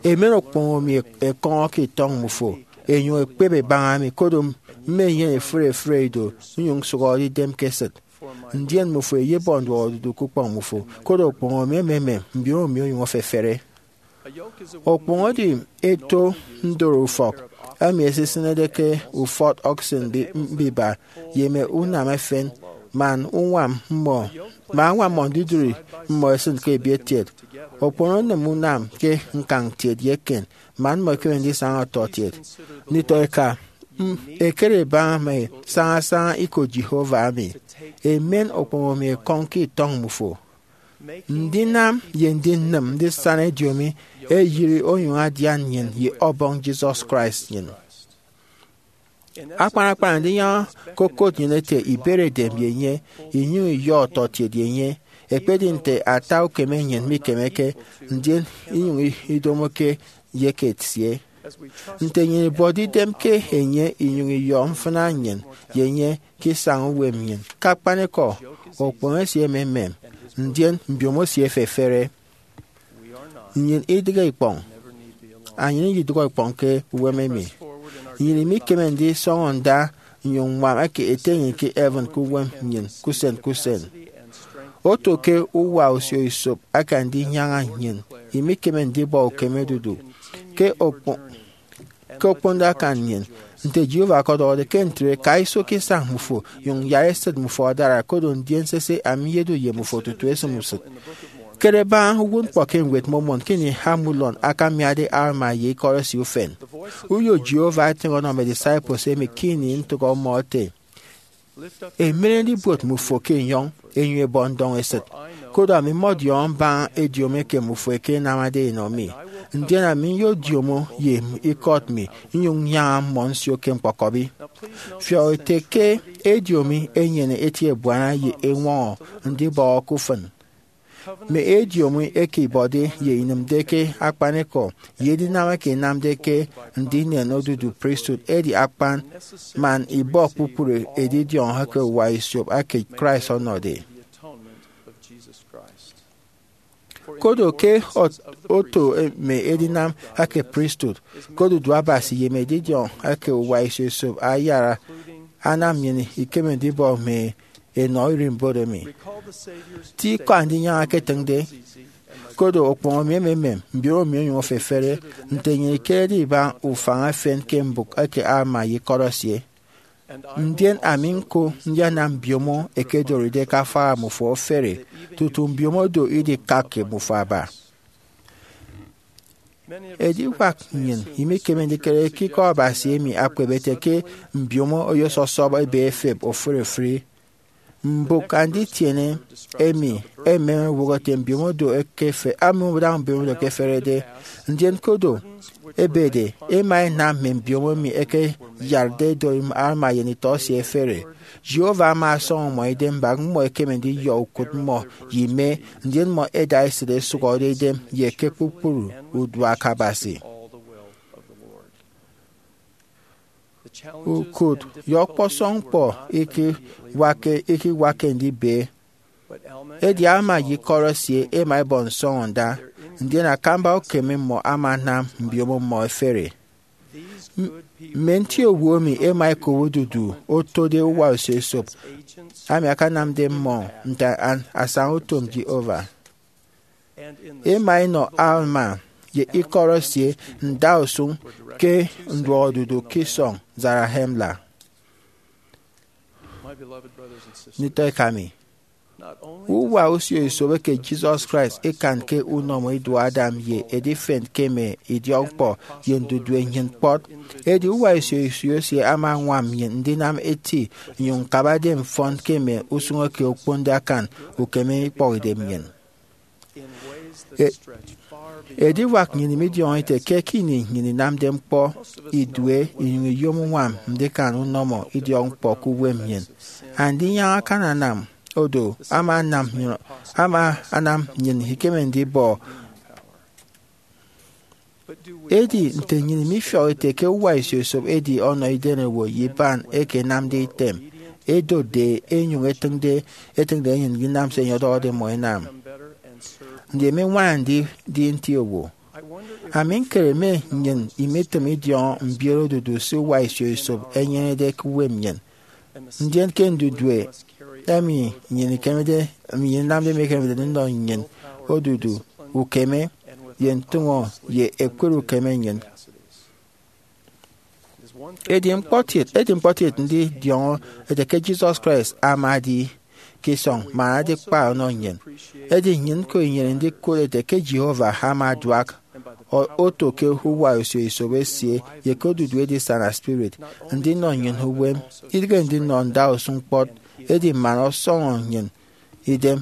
Emen okpono mi ẹkọñọ ke itọñ mmufo, ẹnyụñ ẹkpep ẹbaña mi, koro mmenyene efre efre ido, nnyụñ nsụhọde idem ke esịt. Ndien mmufo ẹyebọ nduọk odudu ke ukpọñ mmufo, koro okpono mi ememem, mbiomo mi onyụñ efefere. Okpono edi eto ndoro ufọk emi esisịnede ke ufọt oxen mbi-, mbiba ye mme unam efen, man uñwam mmọ, man añwam mmọ ndidụri mmọ esịn ke ebietkiet. Okpono onịm unam ke ñkañ kiet ye eken, man mmọ ẹkeme ndisaña ọtọkiet. Nditọeka, m-, ẹkere ẹbaña mme sañasaña ikot Jehovah emi. Emen okpono mi ẹkọñ ke itọñ mmufo. Ndinam ye ndinịm ndisana ediomi eyiri onyụñ adian nnyịn ye Ọbọñ Jesus Christ nnyịn. Akpan akpan, ndinyaña ke okot nnyịn ete iberedem ye enye, inyụñ iyọ ọtọkiet ye enye, ekpedi nte ata ukeme nnyịn mikemeke, ndien inyụñ idomoke ye ke esie. Nte nnyịn ibuọtde idem ke enye inyụñ iyọ mfịna nnyịn ye enye ke isañ uwem nnyịn, ke akpanikọ, okpụhọñ esie ememem, ndien mbiomo esie efefere. Nnyịn idịghe ikpọñ. Enyịn iyidụhe ikpọñ ke uwem emi. Nnyịn imikeme ndisọñọ nda nnyụñ ññwam eke Ete nnyịn ke heaven ke uwem nnyịn ke usen ke usen. Oto ke uwa osio-isop aka ndinyaña nnyịn, imikeme ndibọ ukeme odudu. Ke okpo- ke okponde akan nnyịn, nte Jehovah ọkọdọhọde ke ntre, ka iso ke isañ mmufo, nyụñ yara esịt mmufo adara, koro ndien sese, ami nyedu ye mmufo tutu esịm usịt. Kere baña uwụtñkpọ ke Ñwed Mormon ke ini Amulon akamiade Alma ye ikọt esie ufen. Uyo Jehovah etịñ ọnọ mme disciples emi ke ini ntụk ọmọ ete, emeneñede ibuot mmufo ke enyọñ, enyụñ ebọ ndọñ esịt. Koro ami mmọdiọñọ mbaña ediomi eke mmufo ẹkenamade ẹnọ mi, ndien ami nyodiomo ye ikọt mi, nnyụñ nnyaña mmọ nsio ke ñkpọkọbi. Fiọk ete ke ediomi enyene eti ebuana ye eñwọñọ ndibọhọ ke ufịn. Mme ediomi eke ibọde ye inịmde ke akpanikọ ye edinam eke inamde ke ndinen odudu pristut edi akpan man ibọ kpukpru edidiọñọ eke uwa isop eke Christ ọnọde. Koro ke ot- oto mme edinam eke pristut ke odudu Abasi ye mme edidiọñ eke uwa isio isop ayara anam nnyịn ikeme ndibọ mme enọ irimbot emi. Ti ikọ Andinyaña eketịñde, koro okpụhọñ mi ememem, mbiomo mi onyụñ efefere, nte nnyịn ikerede ibaña ufañ efen ke mbụk eke Alma ye ikọt esie. Ndien ami ñko ndianam mbiomo ẹkedoride ke afaha mmufo efere, tutu mbiomo do idikak ke mmufo aba. Ediwak nnyịn imikeme ndikere ke ikọ Abasi emi akpep ete ke mbiomo oyosọsọp ebe efep ofụri ofụri. Mbụk anditiene emi emem ewụhọ ete mbiomo do ekefe, emi odaña mbiomo do ekeferede. Ndien kodo ebede, ema enam mme mbiomo emi ẹkeyarde edori Alma ye nditọ esie ẹfere. Jehovah ama ọsọñọ mmọ idem mbak mmọ ẹkeme ndiyọ ukụt mmọ ye ime, ndien mmọ ẹda esịt ẹsụhọde idem ye ke kpukpru uduak Abasi. Ukụt ye ọkpọsọñ ñkpọ ikiwakke ikiwakke ndibe. Edi Alma ye ikọt esie ema ẹbọ nsọñọnda, ndien akamba ukeme mmọ ama anam mbiomo mmọ ẹfere. M- mme nti owo emi ema ẹkop odudu otode uwa osio esop, ami akanamde mmọ nte an- asañautom Jehovah. Ema ẹnọ Alma ye ikọt esie ndausụñ ke nduọkodudu ke isọñ Zarahemla. Nditọ eka mi, uwa osio esop eke Jesus Christ ikanke unọmọ iduọ Adam ye edifen ke mme idiọkñkpọ ye ndudue nnyịn kpọt. Edi uwa osio esop esie ama añwam nnyịn ndinam eti nnyụñ ñkabade mfọn ke mme usụñ eke okponde akan ukeme ikpọhidem nnyịn. E- ediwak nnyịn midiọñọ ite ke ke ini nnyịn inamde ñkpọ idue inyụñ iyom uñwam ndikan unọmọ idiọkñkpọ ke uwem nnyịn. Andinyaña akananam odo ama anam nnyịn- ama anam nnyịn ikeme ndibọ. Edi nte nnyịn mifiọk ete ke uwa esio esop edi ọnọ idenewo ye iban eke ẹnamde item, edotde, enyụñ etịñde etịñde nnyịn ndinam se enye ọdọhọde mmọ ẹnam? Ndi emi ññwana ndi- ndi nti owo? Ami ñkere mme nnyịn imitịm idiọñọ mbiet odudu se uwa esio esop enyenede ke uwem nnyịn. Ndien ke ndudue emi nnyịn ikemede, emi nnyịn inamde mikemede ndinọ nnyịn odudu ukeme ye ntụñọ ye ekpere ukeme nnyịn. Edi ñkpọtiet, edi ñkpọtiet ndidiọñọ ete ke Jesus Christ ama edi ke isọñ man adikpa ọnọ nnyịn. Edi nnyịn ñko inyene ndikụt ete ke Jehovah ama aduak o- oto ke uwa osio esop esie ye ke odudu edisana spirit, ndinọ nnyịn uwem, idịghe ndinọ ndausụñ kpọt, edi man ọsọñọ nnyịn idem.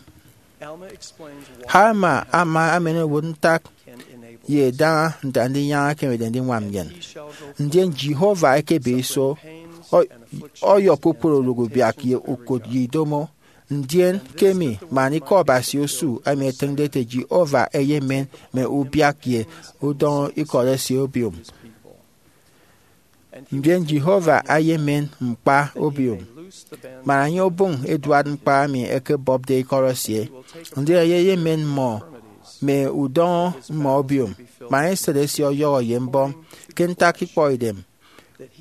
Alma ama amen owụt ntak ye idaha nte Andinyaña ekemede ndiñwam nnyịn. Ndien Jehovah ekebe iso, ọ- ọyọ kpukpru orụk ubiak ye ukụt ye idomo. Ndien ke emi man ikọ Abasi osu emi etịñde ete Jehovah eyemen mme ubiak ye udọñọ ikọt esie obiom. Ndien Jehovah eyemen ñkpa obiom, man enye obụñ eduat ñkpa emi ẹkebọpde ikọt esie, ndien enye eyemen mmọ mme udọñọ mmọ obiom, man esịt esie ọyọhọ ye mbọm ke ntak ikpọkidem,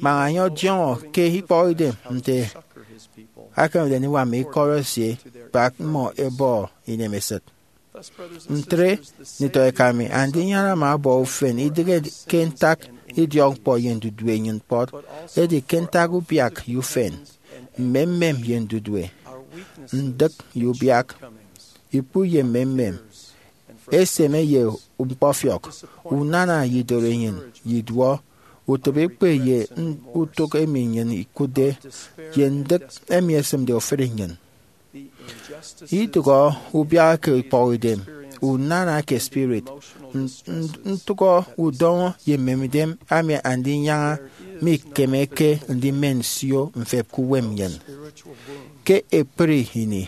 man enye ọdiọñọ ke ikpọkidem nte akemede ndiñwam mme ikọt esie kpa mmọ ẹbọ inemesịt. Ntre, nditọ eka mi, Andinyaña ama ọbọ ufen, idịghe ke ntak idiọkñkpọ ye ndudue nnyịn kpọt, edi ke ntak ubiak ye ufen, mmemmem ye ndudue, ndịk ye ubiak, ikpu ye mmemmem, eseme ye ñkpọfiọk, unana ye idoro enyịn ye iduọ, utịp ekpe ye utụk emi nnyịn ikụtde, ye ndịk emi esịmde ofụri nnyịn. Idụhọ ubiak ke ikpọkidem, unana ke spirit, ntụhọ udọñọ ye mmemidem emi Andinyaña mikemeke ndimen nsio mfep ke uwem nnyịn. Ke ekpri ini,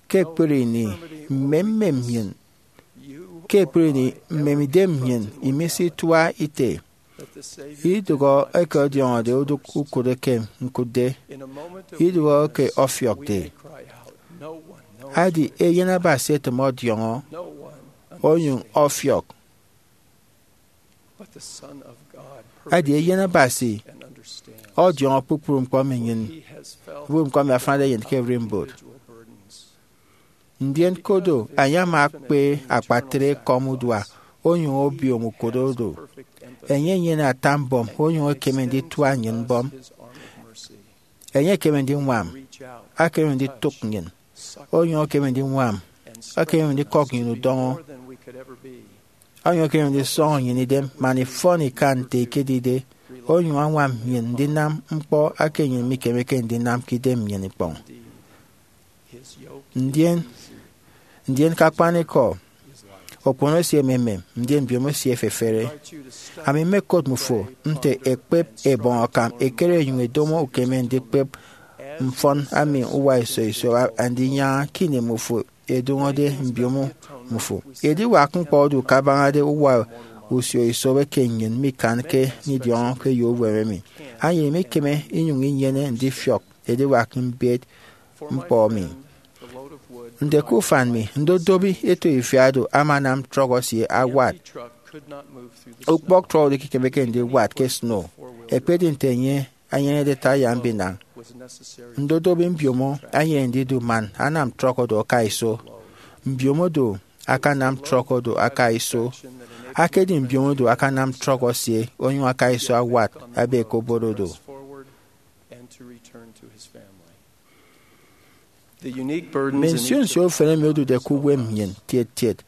ke ekpri ini, mmemmem nnyịn, ke ekpri ini, mmemidem nnyịn imesitua ite. Idụhọ eke ọdiọñọde odụk ukụt eke ñkụtde, idụhọ eke ọfiọkde. Adi Eyen Abasi etịm ọdiọñọ, onyụñ ọfiọk. Adi Eyen Abasi ọdiọñọ kpukpru ñkpọ emi nnyịn, kpukpru ñkpọ emi afanade eyen ke ererimbot. Ndien kodo, enye ama akpe akpatre ekọm udua, onyụñ obiom ukot oro. Enye enyene ata mbọm, onyụñ ekeme nditua nnyịn mbọm. Enye ekeme ndiñwam, ekeme nditụk nnyịn, onyụñ ekeme ndiñwam, ekeme ndikọk nnyịn udọñọ, onyụñ ekeme ndisọñọ nnyịn idem, man ifọn ikan nte ikedide, onyụñ añwam nnyịn ndinam ñkpọ eke nnyịn mikemeke ndinam ke idem nnyịn ikpọñ. Ndien, ndien ke akpanikọ, okpono esie ememem, ndien mbiomo esie efefere. Ami mmekot mmufo nte ẹkpep ẹbọñ akam ẹkere ẹnyụñ ẹdomo ukeme ndikpep mfọn emi uwa iso iso Andinyaña ke ini mmufo ẹdụñọde mbiomo mmufo. Ediwak ñkpọ odu ke abañade uwa usio iso eke nnyịn mikanke ndidiọñọ ke eyo uwem emi. Enyịn imikeme inyụñ inyene ndifiọk ediwak mbiet ñkpọ emi. Nte ke ufan mi, ndodobi eto ifiado ama anam trọk esie awat. Ukpọk trọk oro ikekemeke ndiwat ke snow, ekpedi nte enye enyenede taya mbinañ. Ndodobi mbiomo enyene ndidu man anam trọk oro aka iso. Mbiomo do akanam trọk oro aka iso. Akedi mbiomo do akanam trọk esie onyụñ aka iso awat ebe ke obot odo. Mme nsio nsio ufen emi odude ke uwem nnyịn kiet kiet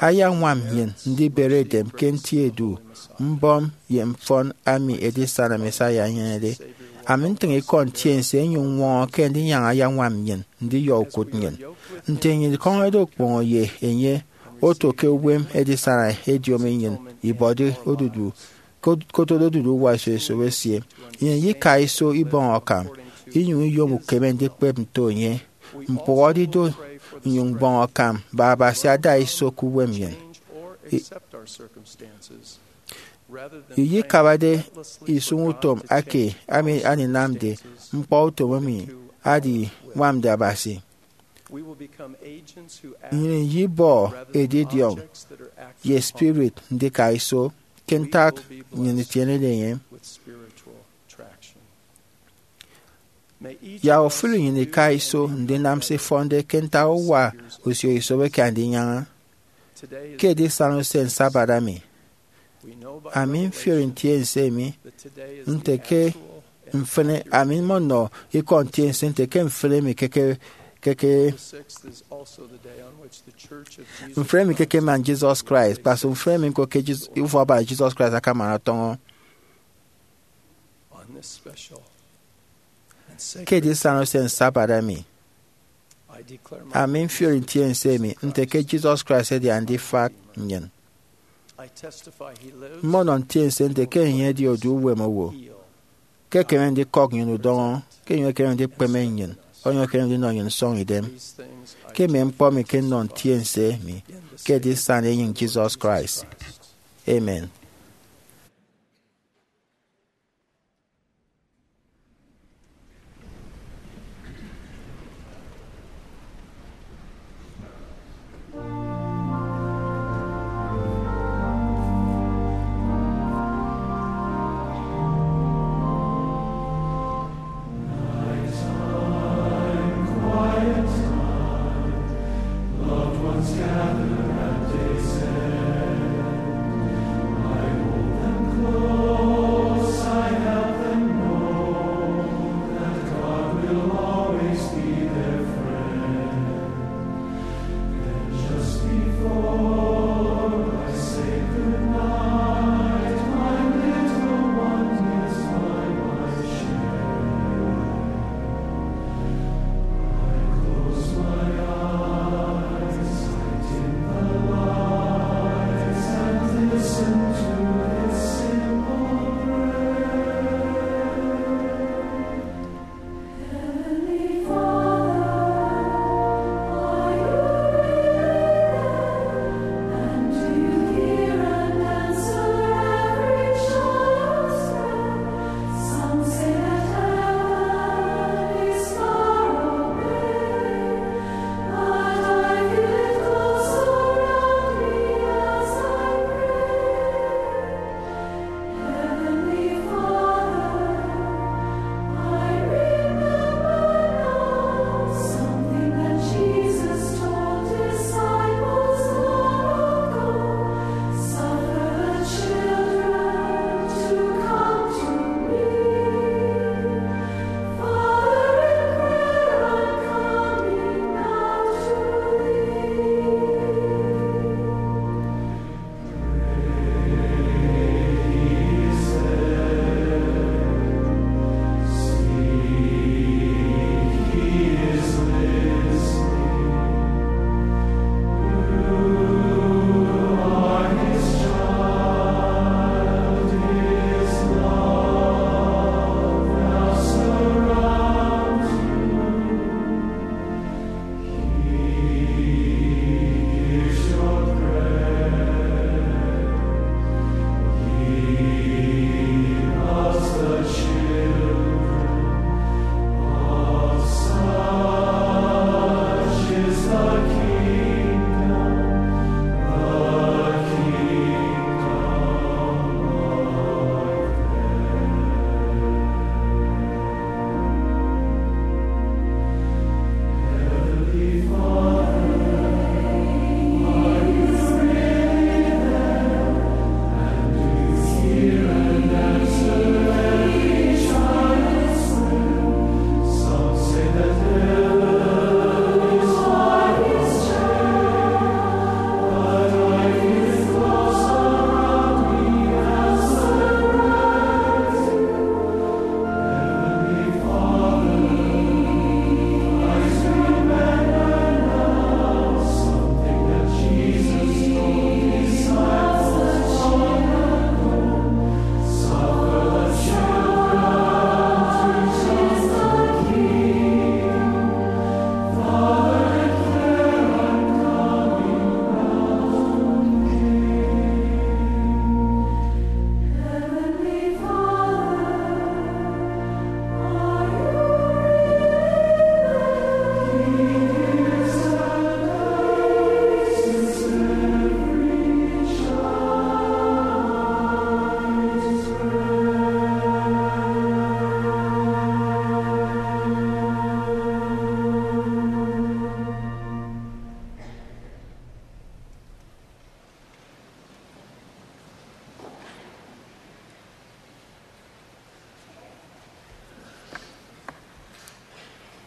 ayañwam nnyịn ndibere edem ke nti edu mbọm ye mfọn emi Edisana Messiah enyenede. Ami ntịñ ikọ ntiense inyụñ ñwọñọ ke Andinyaña ayañwam nnyịn ndiyọ ukụt nnyịn. Nte nnyịn ikọñọde okpụhọde ye enye, oto ke uwem edisana ediomi nnyịn ibọde odudu, kot-, kotode odudu uwa iso iso esie. Nnyịn iyika iso ibọñ akam, inyụñ iyom ukeme ndikpep nto enye. Ñkpụhọde ido nnyụñ mbọñ akam, bak Abasi ada iso ke uwem nnyịn. I-, iyikabade isụñutom ake ami aninamde ñkpọ utom emi adiñwamde Abasi. Nnyịn iyibọ edidiọñ ye spirit ndika iso ke ntak nnyịn itienede enye. Yak ofụri nnyịn ika iso ndinam se ifọnde ke ntak uwa usio iso eke Andinyaña. Ke edisana usen Sabbath emi, ami mfiori ntiense mi nte ke mfịn, ami mmọnọ ikọ ntiense nte ke mfịn emi ke, ke, ke, ke mfịn emi ke, ke man Jesus Christ, kpasụk mfịn emi ñko ke Jes-, Ufọkabara Jesus Christ akamana ọtọñọ. Ke edisana usen Sabbath emi, ami mfiori ntiense emi nte ke Jesus Christ edi Andifak nnyịn. Mmọnọ ntiense nte ke enye edi odu uwem owo, ke ekeme ndikọk nnyịn udọñọ, ke enyịñ ekeme ndikpeme nnyịn, onyụñ ekeme ndinọ nnyịn nsọñidem. Ke mme ñkpọ emi ke nnọ ntiense mi ke edisana enyịñ Jesus Christ. Amen.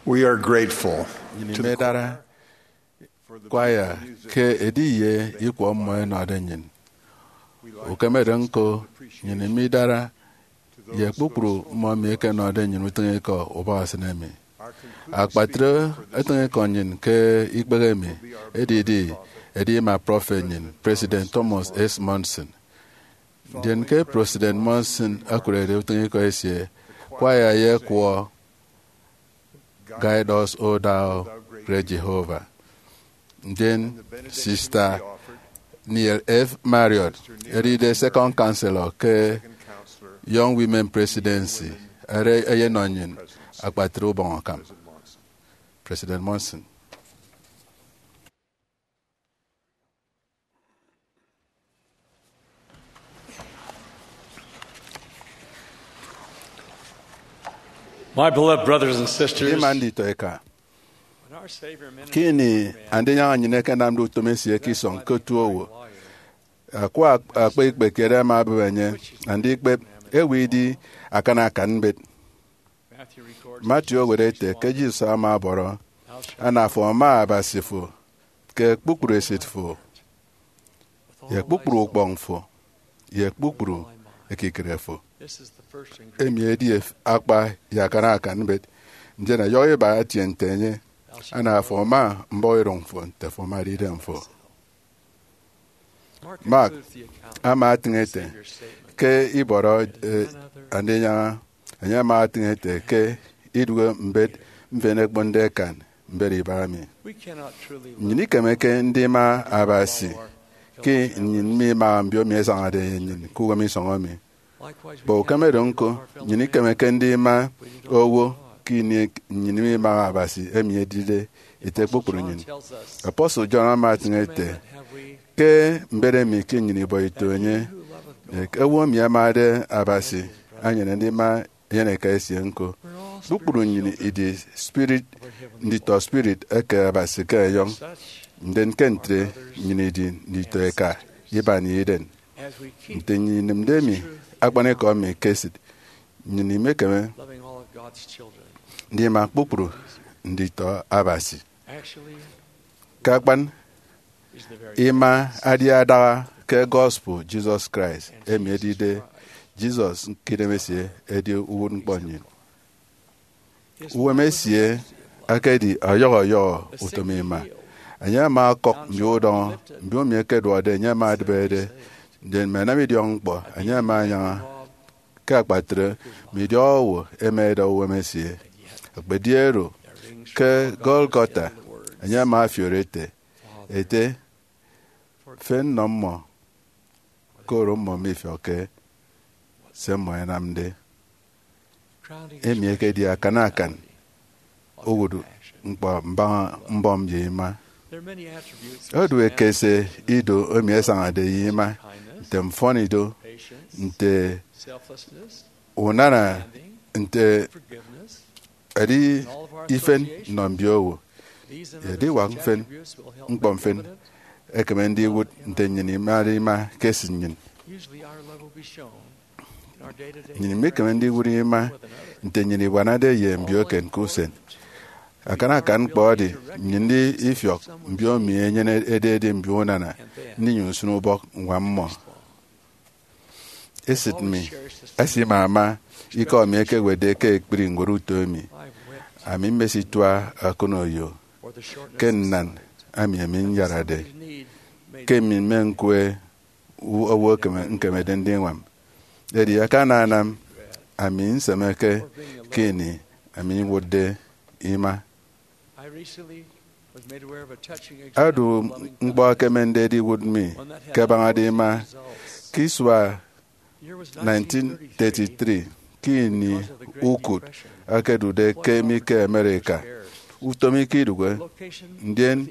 We are grateful. Nnyịn to the imidara choir kwaya ke ediye ikwọ mmọ ẹnọde nnyịn. Ukemede ñko, nnyịn imidara ye kpukpru mmọ emi ẹkenọde nnyịn utịñikọ ubọk esịn emi. Akpatre utịñikọ nnyịn ke ikpehe emi edidi edima prọfet nnyịn, President Thomas S. Monson. Ndien ke President Monson okụrede utịñikọ esie, kwaya ye ekwọ Guide Us, O Thou Great Jehovah. Ndien Sista Neal F. Marriott, edide Second Counselor ke Young Women Presidency, are eyenọ nnyịn akpatre ubọñ akam. President Monson. My beloved brothers and sisters, ima nditọ eka, when our Savior ministered ke ini Andinyaña nnyịn ẹkenamde utom esie ke isọñ ke otu owo, akwa akpa ikpe kiet ẹma ẹbụp enye, andikpep ewe idi akan akan mbet. Matthew owet ete ke Jesus ama ọbọrọ, ana afo ama Abasi fo ke kpukpru esịt fo, ye kpukpru ukpọñ fo, ye kpukpru ekikere fo. Emi edi akpa ye akan akan mbet. Ndien ẹyọhọ iba etie nte enye, ana afo ama mbọhọ erọñ fo nte afo amade idem fo. Mark ama atịñ ete ke ibọrọ, eh, Andinyaña, enye ama atịñ ete ke idụhe mbet mfịn ẹkponde ẹkan mbet iba emi. Nnyịn ikemeke ndima Abasi ke nnyịn mimaha mbiomi ẹsañade ye nnyịn ke uwem isọñ emi. Kpa ukeme do ñko, nnyịn ikemeke ndima owo ke ini nnyịn mimaha Abasi emi edide Ete kpukpru nnyịn. Apostle John ama atịñ ete ke mbet emi ke nnyịn ibọ ito enye, eke owo emi amade Abasi anyene ndima eyeneka esie ñko. Kpukpru nnyịn idi spirit, nditọ spirit eke Abasi ke enyọñ, ndien ke ntre nnyịn idi nditọ eka iban ye Eden. Nte nnyịn inịmde emi akpanikọ emi ke esịt, nnyịn imekeme ndima kpukpru nditọ Abasi. Ke akpan, ima adi adaha ke gospel Jesus Christ, emi edide Jesus ke idemesie edi uwụtñkpọ nnyịn. Uwem esie ekedi ọyọhọ ọyọhọ utom ima. Enye ama ọkọk mbio udọñọ, mbio emi ẹkeduọkde enye ẹma ẹdịbede, ndien mme ẹnam idiọkñkpọ enye ẹma ẹnyaña. Ke akpatre, mme idiọk owo ẹma ẹda uwem esie. Ekpedi oro, ke Golgotha, enye ama ọfiọk ete, Ete, fe nnọ mmọ, koro mmọ mifiọkke se mmọ ẹnamde. Emi ekedi akan akan uwụtñkpọ mbaña mbọm ye ima. Odu ekese ido emi ẹsañade ye ima, nte mfọnido, nte unana, nte edi ifen nnọ mbio owo. Ediwak mfịn, ñkpọ mfịn, ekeme ndiwụt nte nnyịn imade ima ke esịt nnyịn. Nnyịn imekeme ndiwụt ima nte nnyịn ibuanade ye mbio eken ke usen. Akan akan ñkpọ edi nnyịn ndifiọk mbio emi enyene ededi mbio unana ndinyụñ nsịn ubọk ññwam mmọ. Esịt mi esimama ikọ emi ekewetde ke ekpri ñwed uto emi. Ami mmesitua akụnoyo ke nnan ami emi nyarade, ke mi mme ñkwe owo ekeme, ñkemede ndiñwam. Edi akananam ami nsemeke ke ini ami ñwụtde ima. Odu ñkpọ ekemende ediwụt mi ke abañade ima. Ke isua nineteen thirty-three, ke ini ukụt akedude ke mi ke America, utom ikidụhe. Ndien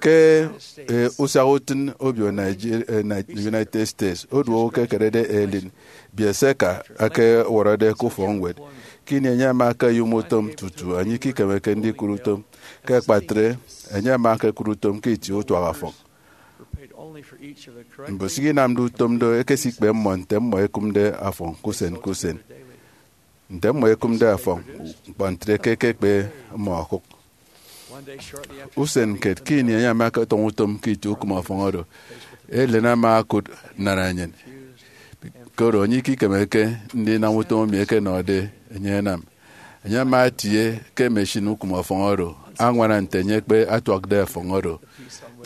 ke, eh, usiaha utịn obio Niger-, eh, Ni-, United States, odu owo ke ekerede Eileen Biesecka akewọrọde ke ufọkñwed. Ke ini enye ama akeyom utom tutu enye ikikemeke ndikụt utom, ke akpatre, enye ama akekụt utom ke itie utuaha ọfọñ. Mbusịk inamde utom do ekesikpe mmọ nte mmọ ekụmde ọfọñ ke usen ke usen. Nte mmọ ekụmde ọfọñ ñkpọ ntre ke ẹkekpe mmọ okụk. Usen kiet ke ini enye ama ọkọtọñọ utom ke itie ukụm ọfọñ oro, Ellen ama okụt nnanenyịn, koro enye ikikemeke ndinam utom emi ẹkenọde enye ẹnam. Enye ama etie ke machine ukụm ọfọñ oro añwana nte enye ekpe atuakde ọfọñ oro,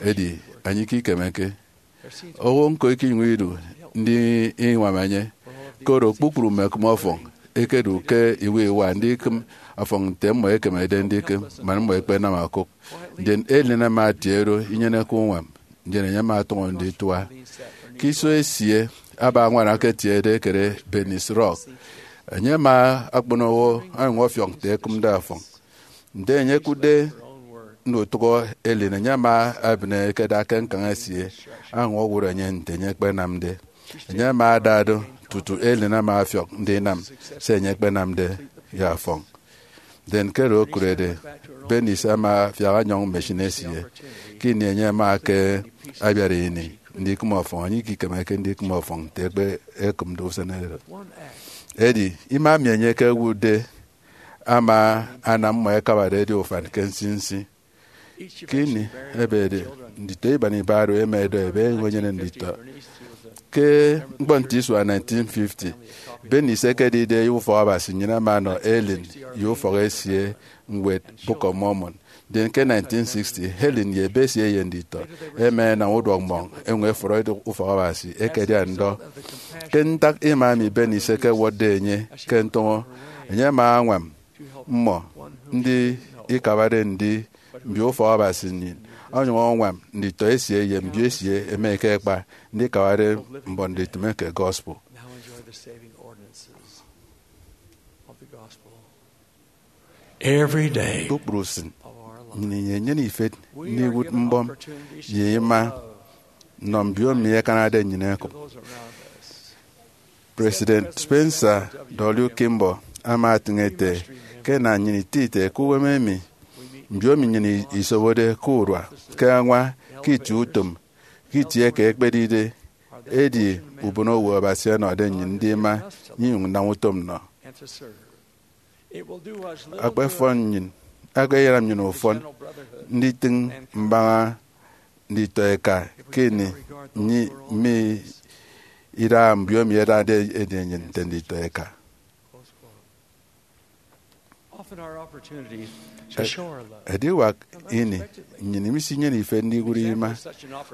edi enye ikikemeke. Owo ñko ikinyụñ idu ndiñwam enye, koro kpukpru mme ekụm ọfọñ ẹkedu ke iwa iwa ndikịm ọfọñ nte mmọ ẹkemede ndikịm man mmọ ẹkpenam okụk. Ndien Ellen ama etie oro inyeneke uñwam, ndien enye ama ọtọñọ nditua. Ke iso esie aba añwana ke etiede ekere Bernice Rock, enye ama akpon owo onyụñ ọfiọk nte ekịmde ọfọñ. Nte enye ekụtde ndutụk Ellen, enye ama ebịne ekeda ke ñkañ esie, añwọñọ owụt enye nte enye ekpenamde. Enye ama ada do tutu Ellen ama ọfiọk ndinam se enye ekpenamde ye ọfọñ. Ndien ke oro okụrede, Bernice ama afiak ọnyọñ machine esie. Ke ini enye ama ke abiat ini ndikịm ọfọñ, enye ikikemeke ndikịm ọfọñ nte ekpe ekịmde usen oro. Edi ima emi enye ekewụtde ama anam mmọ ẹkabade ẹdi ufan ke nsinsi. Ke ini ebede, nditọ iban iba oro ẹma ẹdọ ẹbe ẹnyụñ ẹnyene nditọ. Ke ñkpọ nte isua nineteen fifty, Bernice ekedide ufọkabasi, nnyịn ama ẹnọ Ellen ye ufọk esie ñwed Book of Mormon. Ndien ke nineteen sixty, Ellen ye ebe esie ye nditọ ẹma ẹnam uduọkmọñ ẹnyụñ ẹfọrọ ẹdụk ufọkabasi ẹkedian ndọ. Ke ntak ima emi Bernice ekewọtde enye ke ntọñọ, enye ama añwam mmọ ndi ikabade ndi mbio ufọkabasi nnyịn, onyụñ añwam nditọ esie ye mbio esie ẹma ẹkekpa ndikabade mbon nditịme ke gospel. Now enjoy the saving ordinances of the gospel. Every day Kpukpru usịn, of our life, nnyịn inyene ifet we are ndiwụt given mbọm opportunities to ye ima love nnọ mbio emi ẹkanade nnyịn ẹkụk. Those around us. President Spencer W. Kimball ama etịñ ete ke ẹnam nnyịn itieti ke uwem emi mbio emi nnyịn isobode ke urua, ke añwa, ke itie utom, ke itie eke ekpedide, edi ubonowo Abasi ọnọde nnyịn ndima, nnyụñ nnam utom nnọ. Akpafọn nnyịn, akpayenam nnyịn ufọn nditịñ mbaña nditọ eka ke ini nyi-, mme idaha mbio emi ẹdade ẹdi nnyịn nte nditọ eka. Often our opportunity to show our love. Ediwak ini, nnyịn misinyene ifet ndiwụt ima.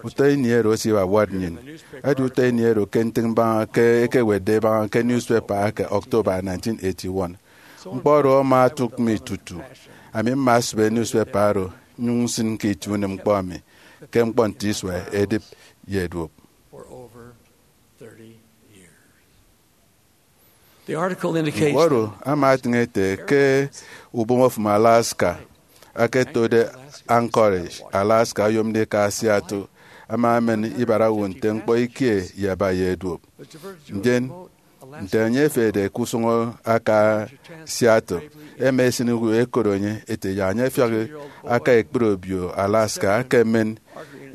Utọ ini oro esibawat nnyịn. Edi utọ ini oro ke ntịñ mbaña ke ekewetde ebaña ke newspaper eke October nineteen eighty-one. Ñkpọ oro ama otụk mi tutu. Ami mma asịbe newspaper oro, nyụñ nsịn ke itie unem ñkpọ mi ke ñkpọ nte isua edịp ye duop. For over thirty years. The article indicates Ñkpọ oro ama etịñ ete ke ubomofụm Alaska aketode Anchorage, Alaska, oyomde eka Seattle, ama emen ibat owo nte ñkpọ ikie ye aba ye duop. Ndien, nte enye efede ke usụñ aka Seattle, ẹma ẹsịn uyo ẹkot enye ete yak enye afiak aka ekpri obio Alaska aka emen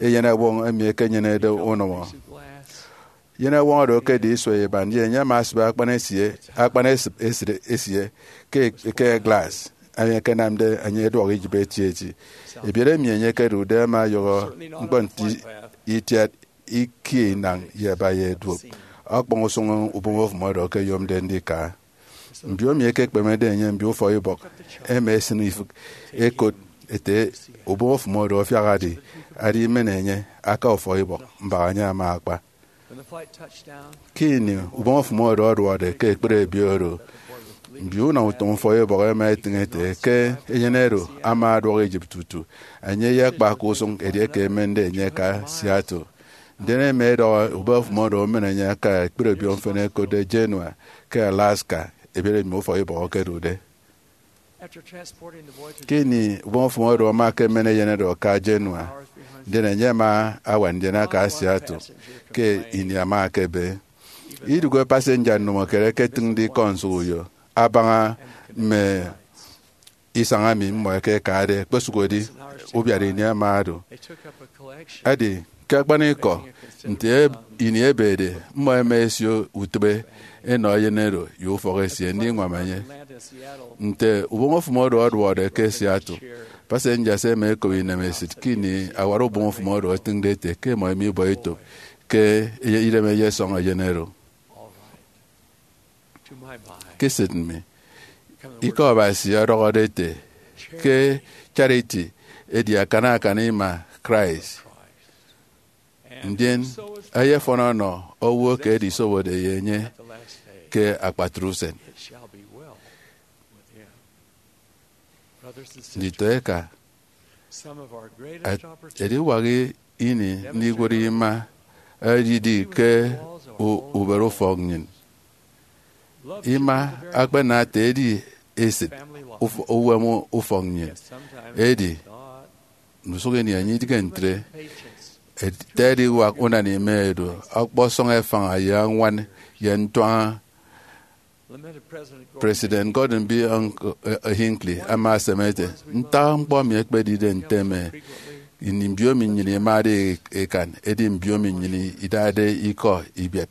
eyenọwọñ emi ekenyenede unọmọ. Eyenọwọñ oro ekedi isua iban, ye enye ama asịbe akpan esie, akpan esịp esịt esie ke eke glass, emi ẹkenamde enye ẹduọk iyịp etieti. Ebiet emi enye ekedude ama ọyọhọ ñkpọ nte itiat ikie inañ ye aba ye duop, ọkpọñ usụñ ubomofụm oro ẹkeyomde ndika. Mbio emi ẹkekpemede enye mbio ufọkibọk ẹma ẹsịn ifịk ẹkot ete ubomofụm oro afiak adi, adi imen enye aka ufọkibọk, mbak enye ama akpa. Ke ini ubomofụm oro ọduọkde ke ekpri obio oro, mbio unam utom ufọkibọk ẹma ẹtịñ ẹte ke eyen oro ama ọduọk iyịp tutu enye eyekpa ke usụñ edieke ẹmende enye ẹka Seattle. Ndien ẹma ẹdọhọ ubomofụm oro ẹmen enye aka ekpri obio mfịn ẹkotde Juneau ke Alaska, ebiet emi ufọkibọk ẹkedude. Ke ini ubomofụm oro ama ekemen eyen oro aka Juneau, ndien enye ama awa ndien aka Seattle ke ini ama ekebe. Idụhe passenger nnụmọkiet ẹketịñde ikọ nsụhọ uyo abaña mme isañ emi mmọ ẹkekade, ẹkpesụk ẹdi ubiat ini ama odu. Edi Ke akpanikọ, nte ini ebede, mmọ ẹma ẹsio utịbe ẹnọ eyen oro ye ufọk esie ndiñwam enye. Nte uboñ ofụm oro ọduọkde ke Seattle, passengers ẹma ẹkop inemesịt ke ini awara uboñ ofụm oro etịñde ete ke ẹmọ ẹma ibọ etop ke idem eyesọñ eyen oro. Ke esịt mi, Ikọ Abasi ọdọhọde ete ke Charity edi akan akan ima Christ, ndien eyefọn ọnọ owo ke ẹdisobode ye enye ke akpatre usen. Nditọeka, ediwak ini ndiwụt ima edidi ke ubere ufọk nnyịn. Ima akpanate edi esịt uwem ufọk nnyịn, edi ndusụk ini enye idịghe ntre. Ete ediwak unana ima edu ọkpọsọñ efaña ye añwan ye ntuaña. President Gordon B. Hinckley ama aseme ete, ntak ñkpọ mi ekpedide nte emi, ini mbiomi nnyịn imade ikan, edi mbiomi nnyịn idade ikọ ibiat.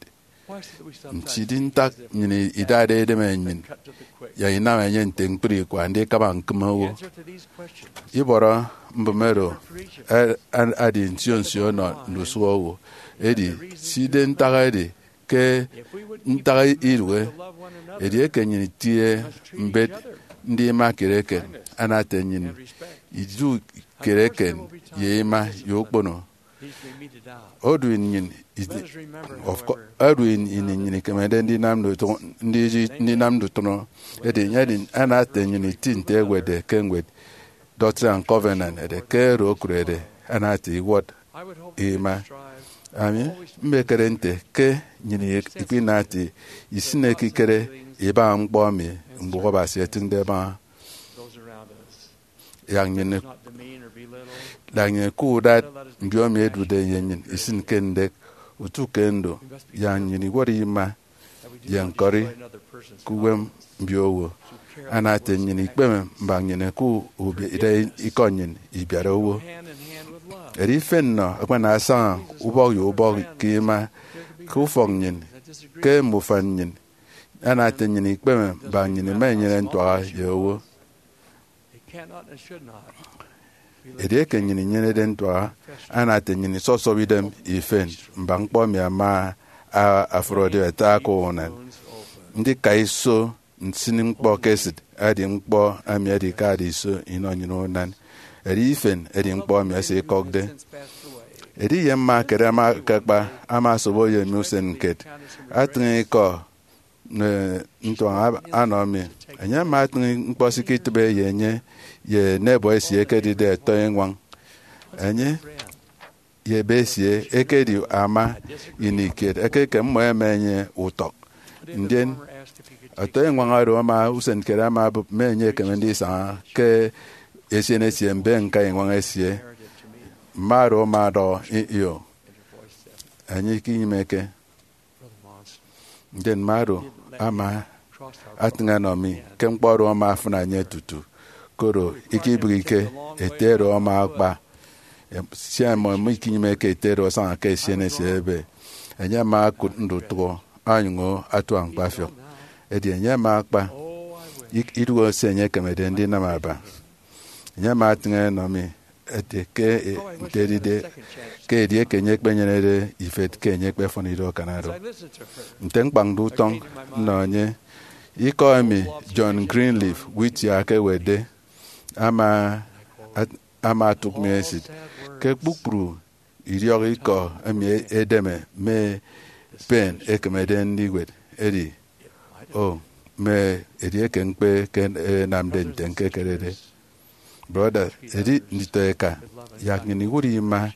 Nti di ntak nnyịn idade edem nnyịn, ya inam enye nte ñkpri ikwa ndikaba ñkịm owo? Ibọrọ mbụme oro edi nsio nsio ọnọ ndusụk owo. Edi, side ntak edi ke ntak idụhe, edieke nnyịn itie mbet ndima kiet eken, ana ete nnyịn idu kiet eken ye ima ye ukpono. Odu nnyịn, of course, odu ini nnyịn ikemede ndinam ndutụnọ, edi enye edi ana ete nnyịn iti nte ewetde ke ñwed Doctrine and Covenant ete ke oro okụrede ana ete iwọt ima. Ami mmekere nte ke nnyịn ikpinati isịn ekikere ibaña ñkpọ emi mbụk Abasi etịñde ẹbaña yak nnyịn, yak nnyịn ke udat mbiomi ẹdude ye nnyịn isịn ke ndek. Utu ke ndo, yak nnyịn iwọt ima ye ñkọri ke uwem mbiowo. Ana ete nnyịn ikpeme mbak nnyịn ke ubiat ikọ nnyịn ibiat owo. Edi ifen nnọ akpana asaña ubọk ye ubọk ke ima ke ufọk nnyịn, ke mme ufan nnyịn. Ana ete nnyịn ikpeme mbak nnyịn ima inyene ntuaha ye owo. Edieke nnyịn inyenede ntuaha, ana ete nnyịn isọsọp idem ifen mbak ñkpọ emi ama afrode ata ke unan. Ndika iso nsịn ñkpọ ke esịt edi ñkpọ emi edikade iso inọ nnyịn unan. Edi ifen edi ñkpọ emi esikọkde. Edi ye mma kere ama akakpa, ama asobo ye mi usen kiet, atịñ ikọ ntuaña anọ mi. Enye ama atịñ ñkpọ sikitịbe ye enye ye enebọ esie ekedide ẹtọ eñwañ. Enye ye ebe esie ekedi ama ini kiet eke ke mmọ ẹma enye utọk. Ndien ọtọ eñwañ oro ama usen kiet ama abụp mme enye ekeme ndisaña ke esien esie mbe ñka eñwañ esie. Mma oro ama ọdọhọ, io, enye ikinyịmeke. Ndien mma oro ama atịñ ọnọ mi ke ñkpọ oro ama afịna enye tutu, koro ikibịghike ete oro ama akpa. Sia mmọ mikinyịmeke ete oro asaña ke esien esie ebe, enye ama okụt ndutụhọ onyụñ atua ñkpafiọk. Edi enye ama akpa idụhe se enye ekemede ndinam aba. Enye ama atịñ ọnọ mi ete ke nte edide ke edieke enye ekpenyenede ifet ke enye ekpefọn ido akan oro. Nte ñkpañde utọñ nnọ enye, ikọ emi John Greenleaf Whittier ekewetde ama ama otụk mi esịt ke kpukpru idiọk ikọ emi edeme mme pen ekemede ndiwet edi, o, mme edieke ñkpe ke enamde nte ñkekerede. Brọda, edi nditọeka, yak nnyịn iwụt ima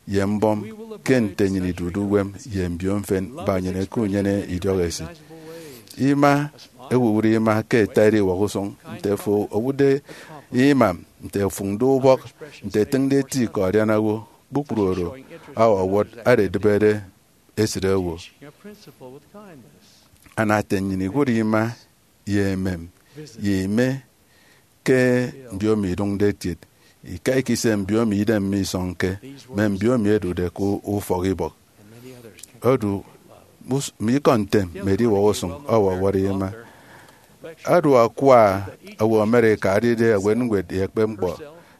ye mbọm ke nte nnyịn idude uwem ye mbio mfịn mbak nnyịn ke unyene idiọk esịt. Ima, ewụwụt ima ke ata ediwak usụñ. Nte afo owụtde ima, nte ofụñde ubọk, nte etịñde eti ke ọdiana owo, kpukpru oro ọwọwọt ada edịbede esịt owo. Ana ete nnyịn iwụt ima ye emem ye ime ke mbiomi idụñde kiet, Ika ikise mbiomi idem misọñke mme mbiomi ẹdude ke ufọk ibọk. Odu mus- mme ikọ ntem mme ediwọk usụñ ọwọwọrọ ima. Odu akwa owo America adide ewet ñwed ye ekpep ñkpọ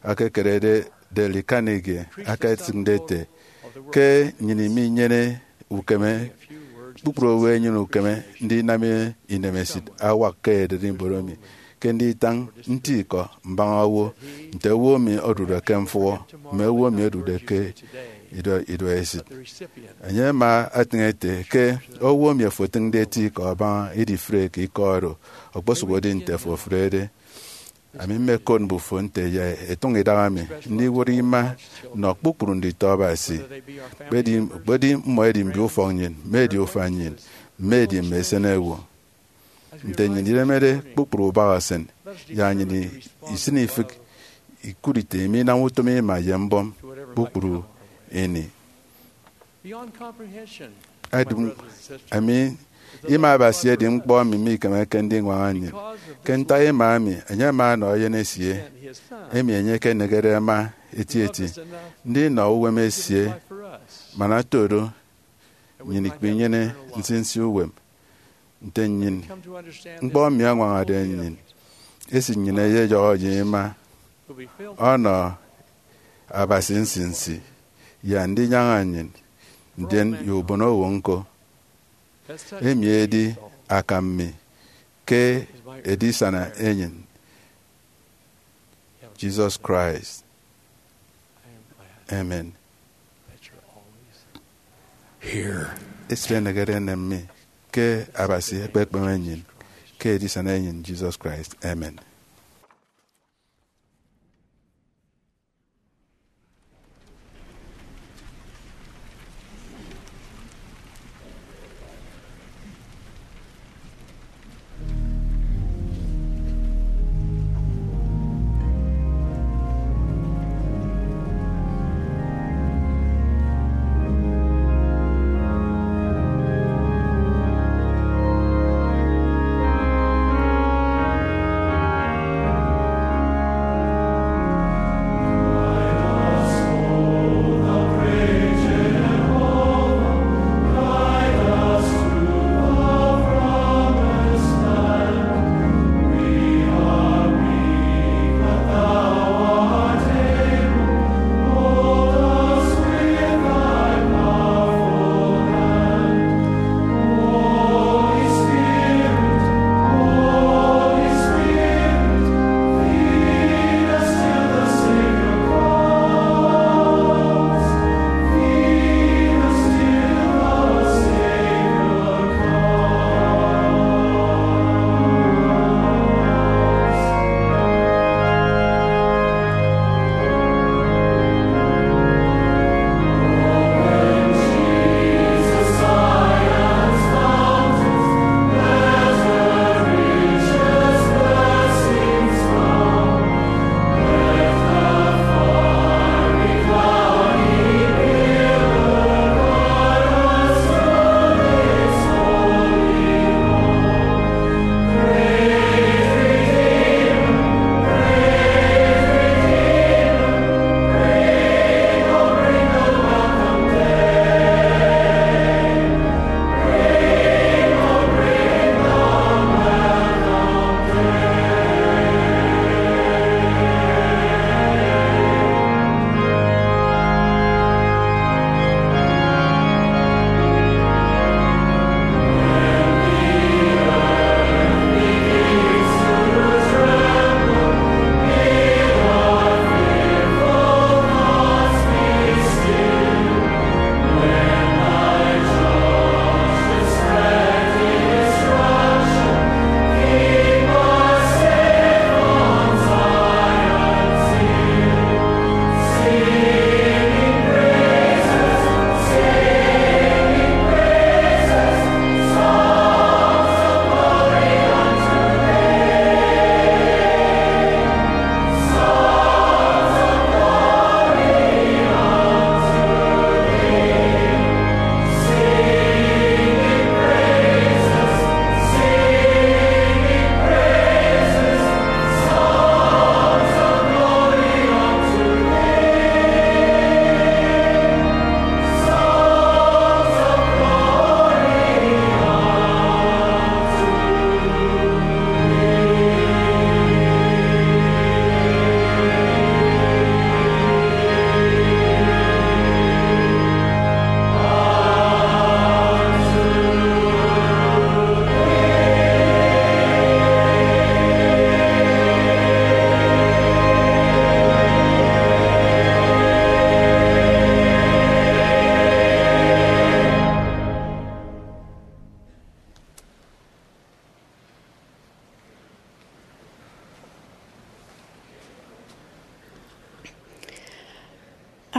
akekerede Dale Carnegie aketịñde ete, ke nnyịn minyene ukeme, kpukpru owo ẹnyene ukeme ndinam inemesịt awak ke ererimbot emi ke nditañ nti ikọ mbaña owo, nte owo emi odude ke mfụhọ mme owo emi odude ke ido- iduọesịt. Enye ama etịñ ete ke owo emi ofo otịñde eti ikọ abaña idifreke ikọ oro, okposụk edi nte afo ofụrede. Ami mmekot mbufo nte ya etụñ idaha mi ndiwụt ima nnọ kpukpru nditọ Abasi, kpedi, kpedi mmọ edi mbio ufọk nnyịn, mme edi ufan nnyịn, mme edi mme esenewo. Nte nnyịn iremede kpukpru ubak esin, ya nnyịn isịn ifịk ikụt ite iminam utom ima ye mbọm kpukpru ini. Beyond comprehension, Adịm, ami ima Abasi edi ñkpọ emi mikemeke ndiñwaña nnyịn. Ke ntak ima emi, enye ama ọnọ eyen esie, emi enye ekenegede ẹma etieti, ndinọ uwem esie, man otodo nnyịn ikpinyene nsinsi uwem. Nte nnyịn, ñkpọ emi añwañade nnyịn, esit nnyịn eyeyọhọ ye ima ọnọ Abasi nsinsi ye andinyaña nnyịn, ndien ye ubonowo ñko. Emi edi akam mi ke edisana enyịn, Jesus Christ. Amen. Esịt enegede enem mi ke Abasi ekpekpeme nnyịn ke edisana enyịn, Jesus Christ. Amen.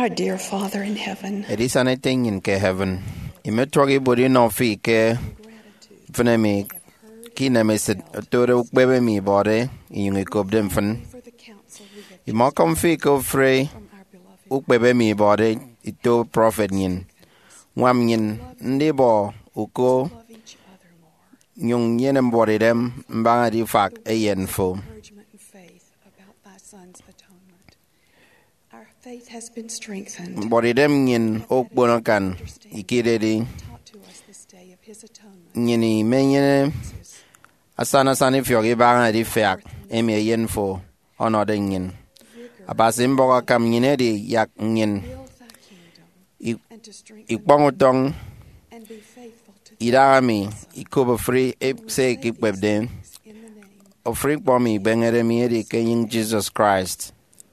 Our dear Father in heaven, edisana ete nnyịn ke heaven, imetuak ibuot inọ fi ke mfịn emi ke inemesịt otode ukpep emi ibọde inyụñ ikopde mfịn. Imakọm fi ke ofụri ukpep emi ibọde ito prọfet nnyịn. Ñwam nnyịn ndibọ uko nyụñ nyene mbuọtidem mbaña edifak eyen fo. Mbuọtidem nnyịn okpon akan ikidedi. Nnyịn imenyene asana asana ifiọk ibaña edifiak emi eyen fo ọnọde nnyịn. Abasi mbọk akam nnyịn edi yak nnyịn ikpọñ utọñ idaha mi ikop ofụri se ikikpepde. Ofụri ñkpọ mi ibeñede mi edi ke enyịñ Jesus Christ.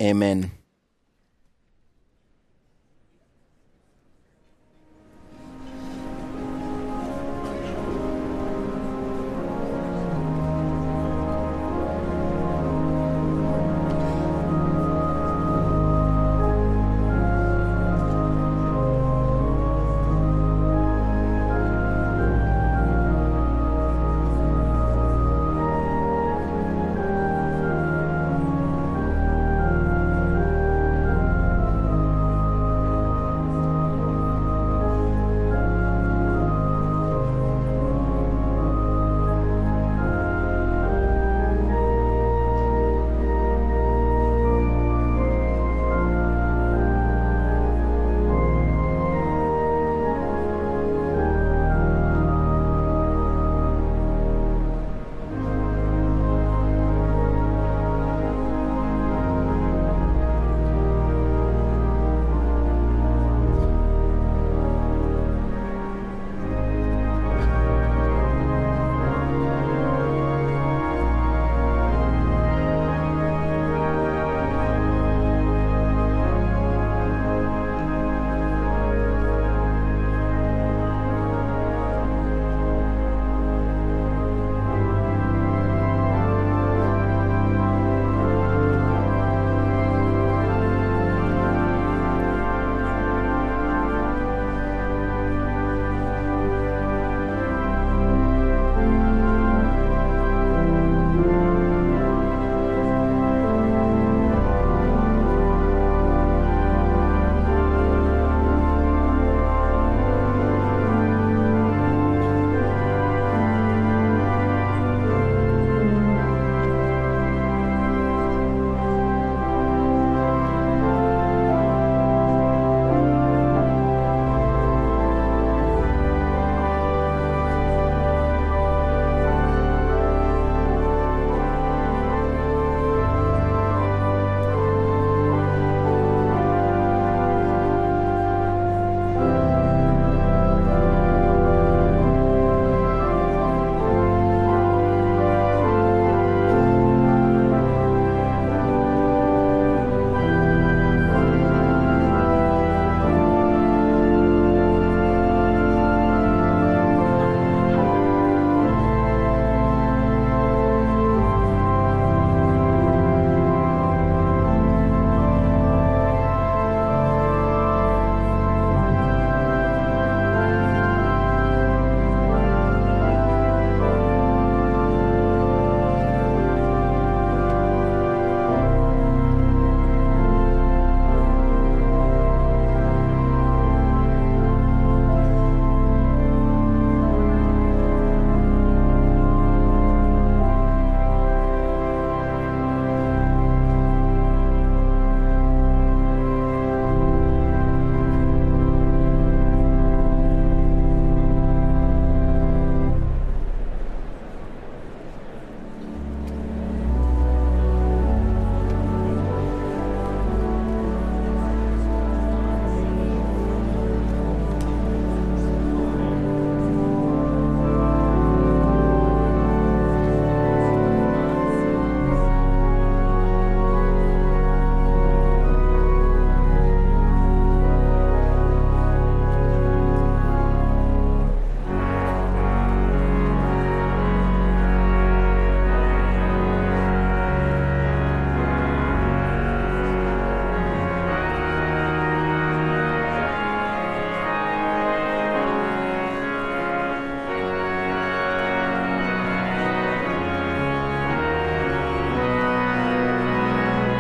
Amen.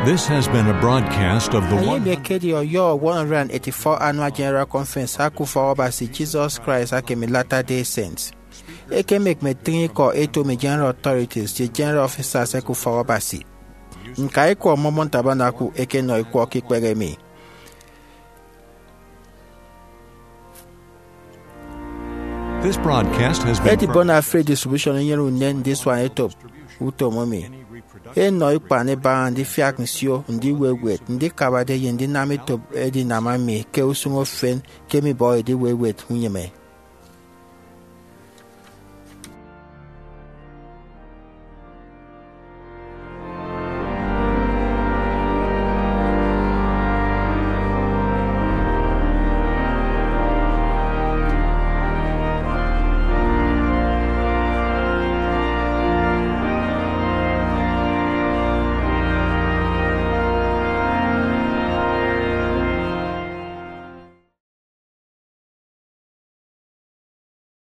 This has been a broadcast of the Enye one emi ekedi ọyọhọ one hundred eighty-four Annual General Conference aka Ufọk Abasi Jesus Christ aka emi Latter-day Saints. Ekem ekeme tịñ ikọ eto emi General Authorities ye General Officers eke Ufọk Abasi. Ñka ikwọ Mormon Tabernacle ekenọ ikwọ ke ikpehe emi. This broadcast has been Edibon Afri Distribution enyene unen ndisuan etop utom emi. Enọ ikpan ibaña ndifiak nsio, ndiwewet, ndikabade ye ndinam etop edinam emi ke usụñ efen ke mibọhọ ediwewet unyịme.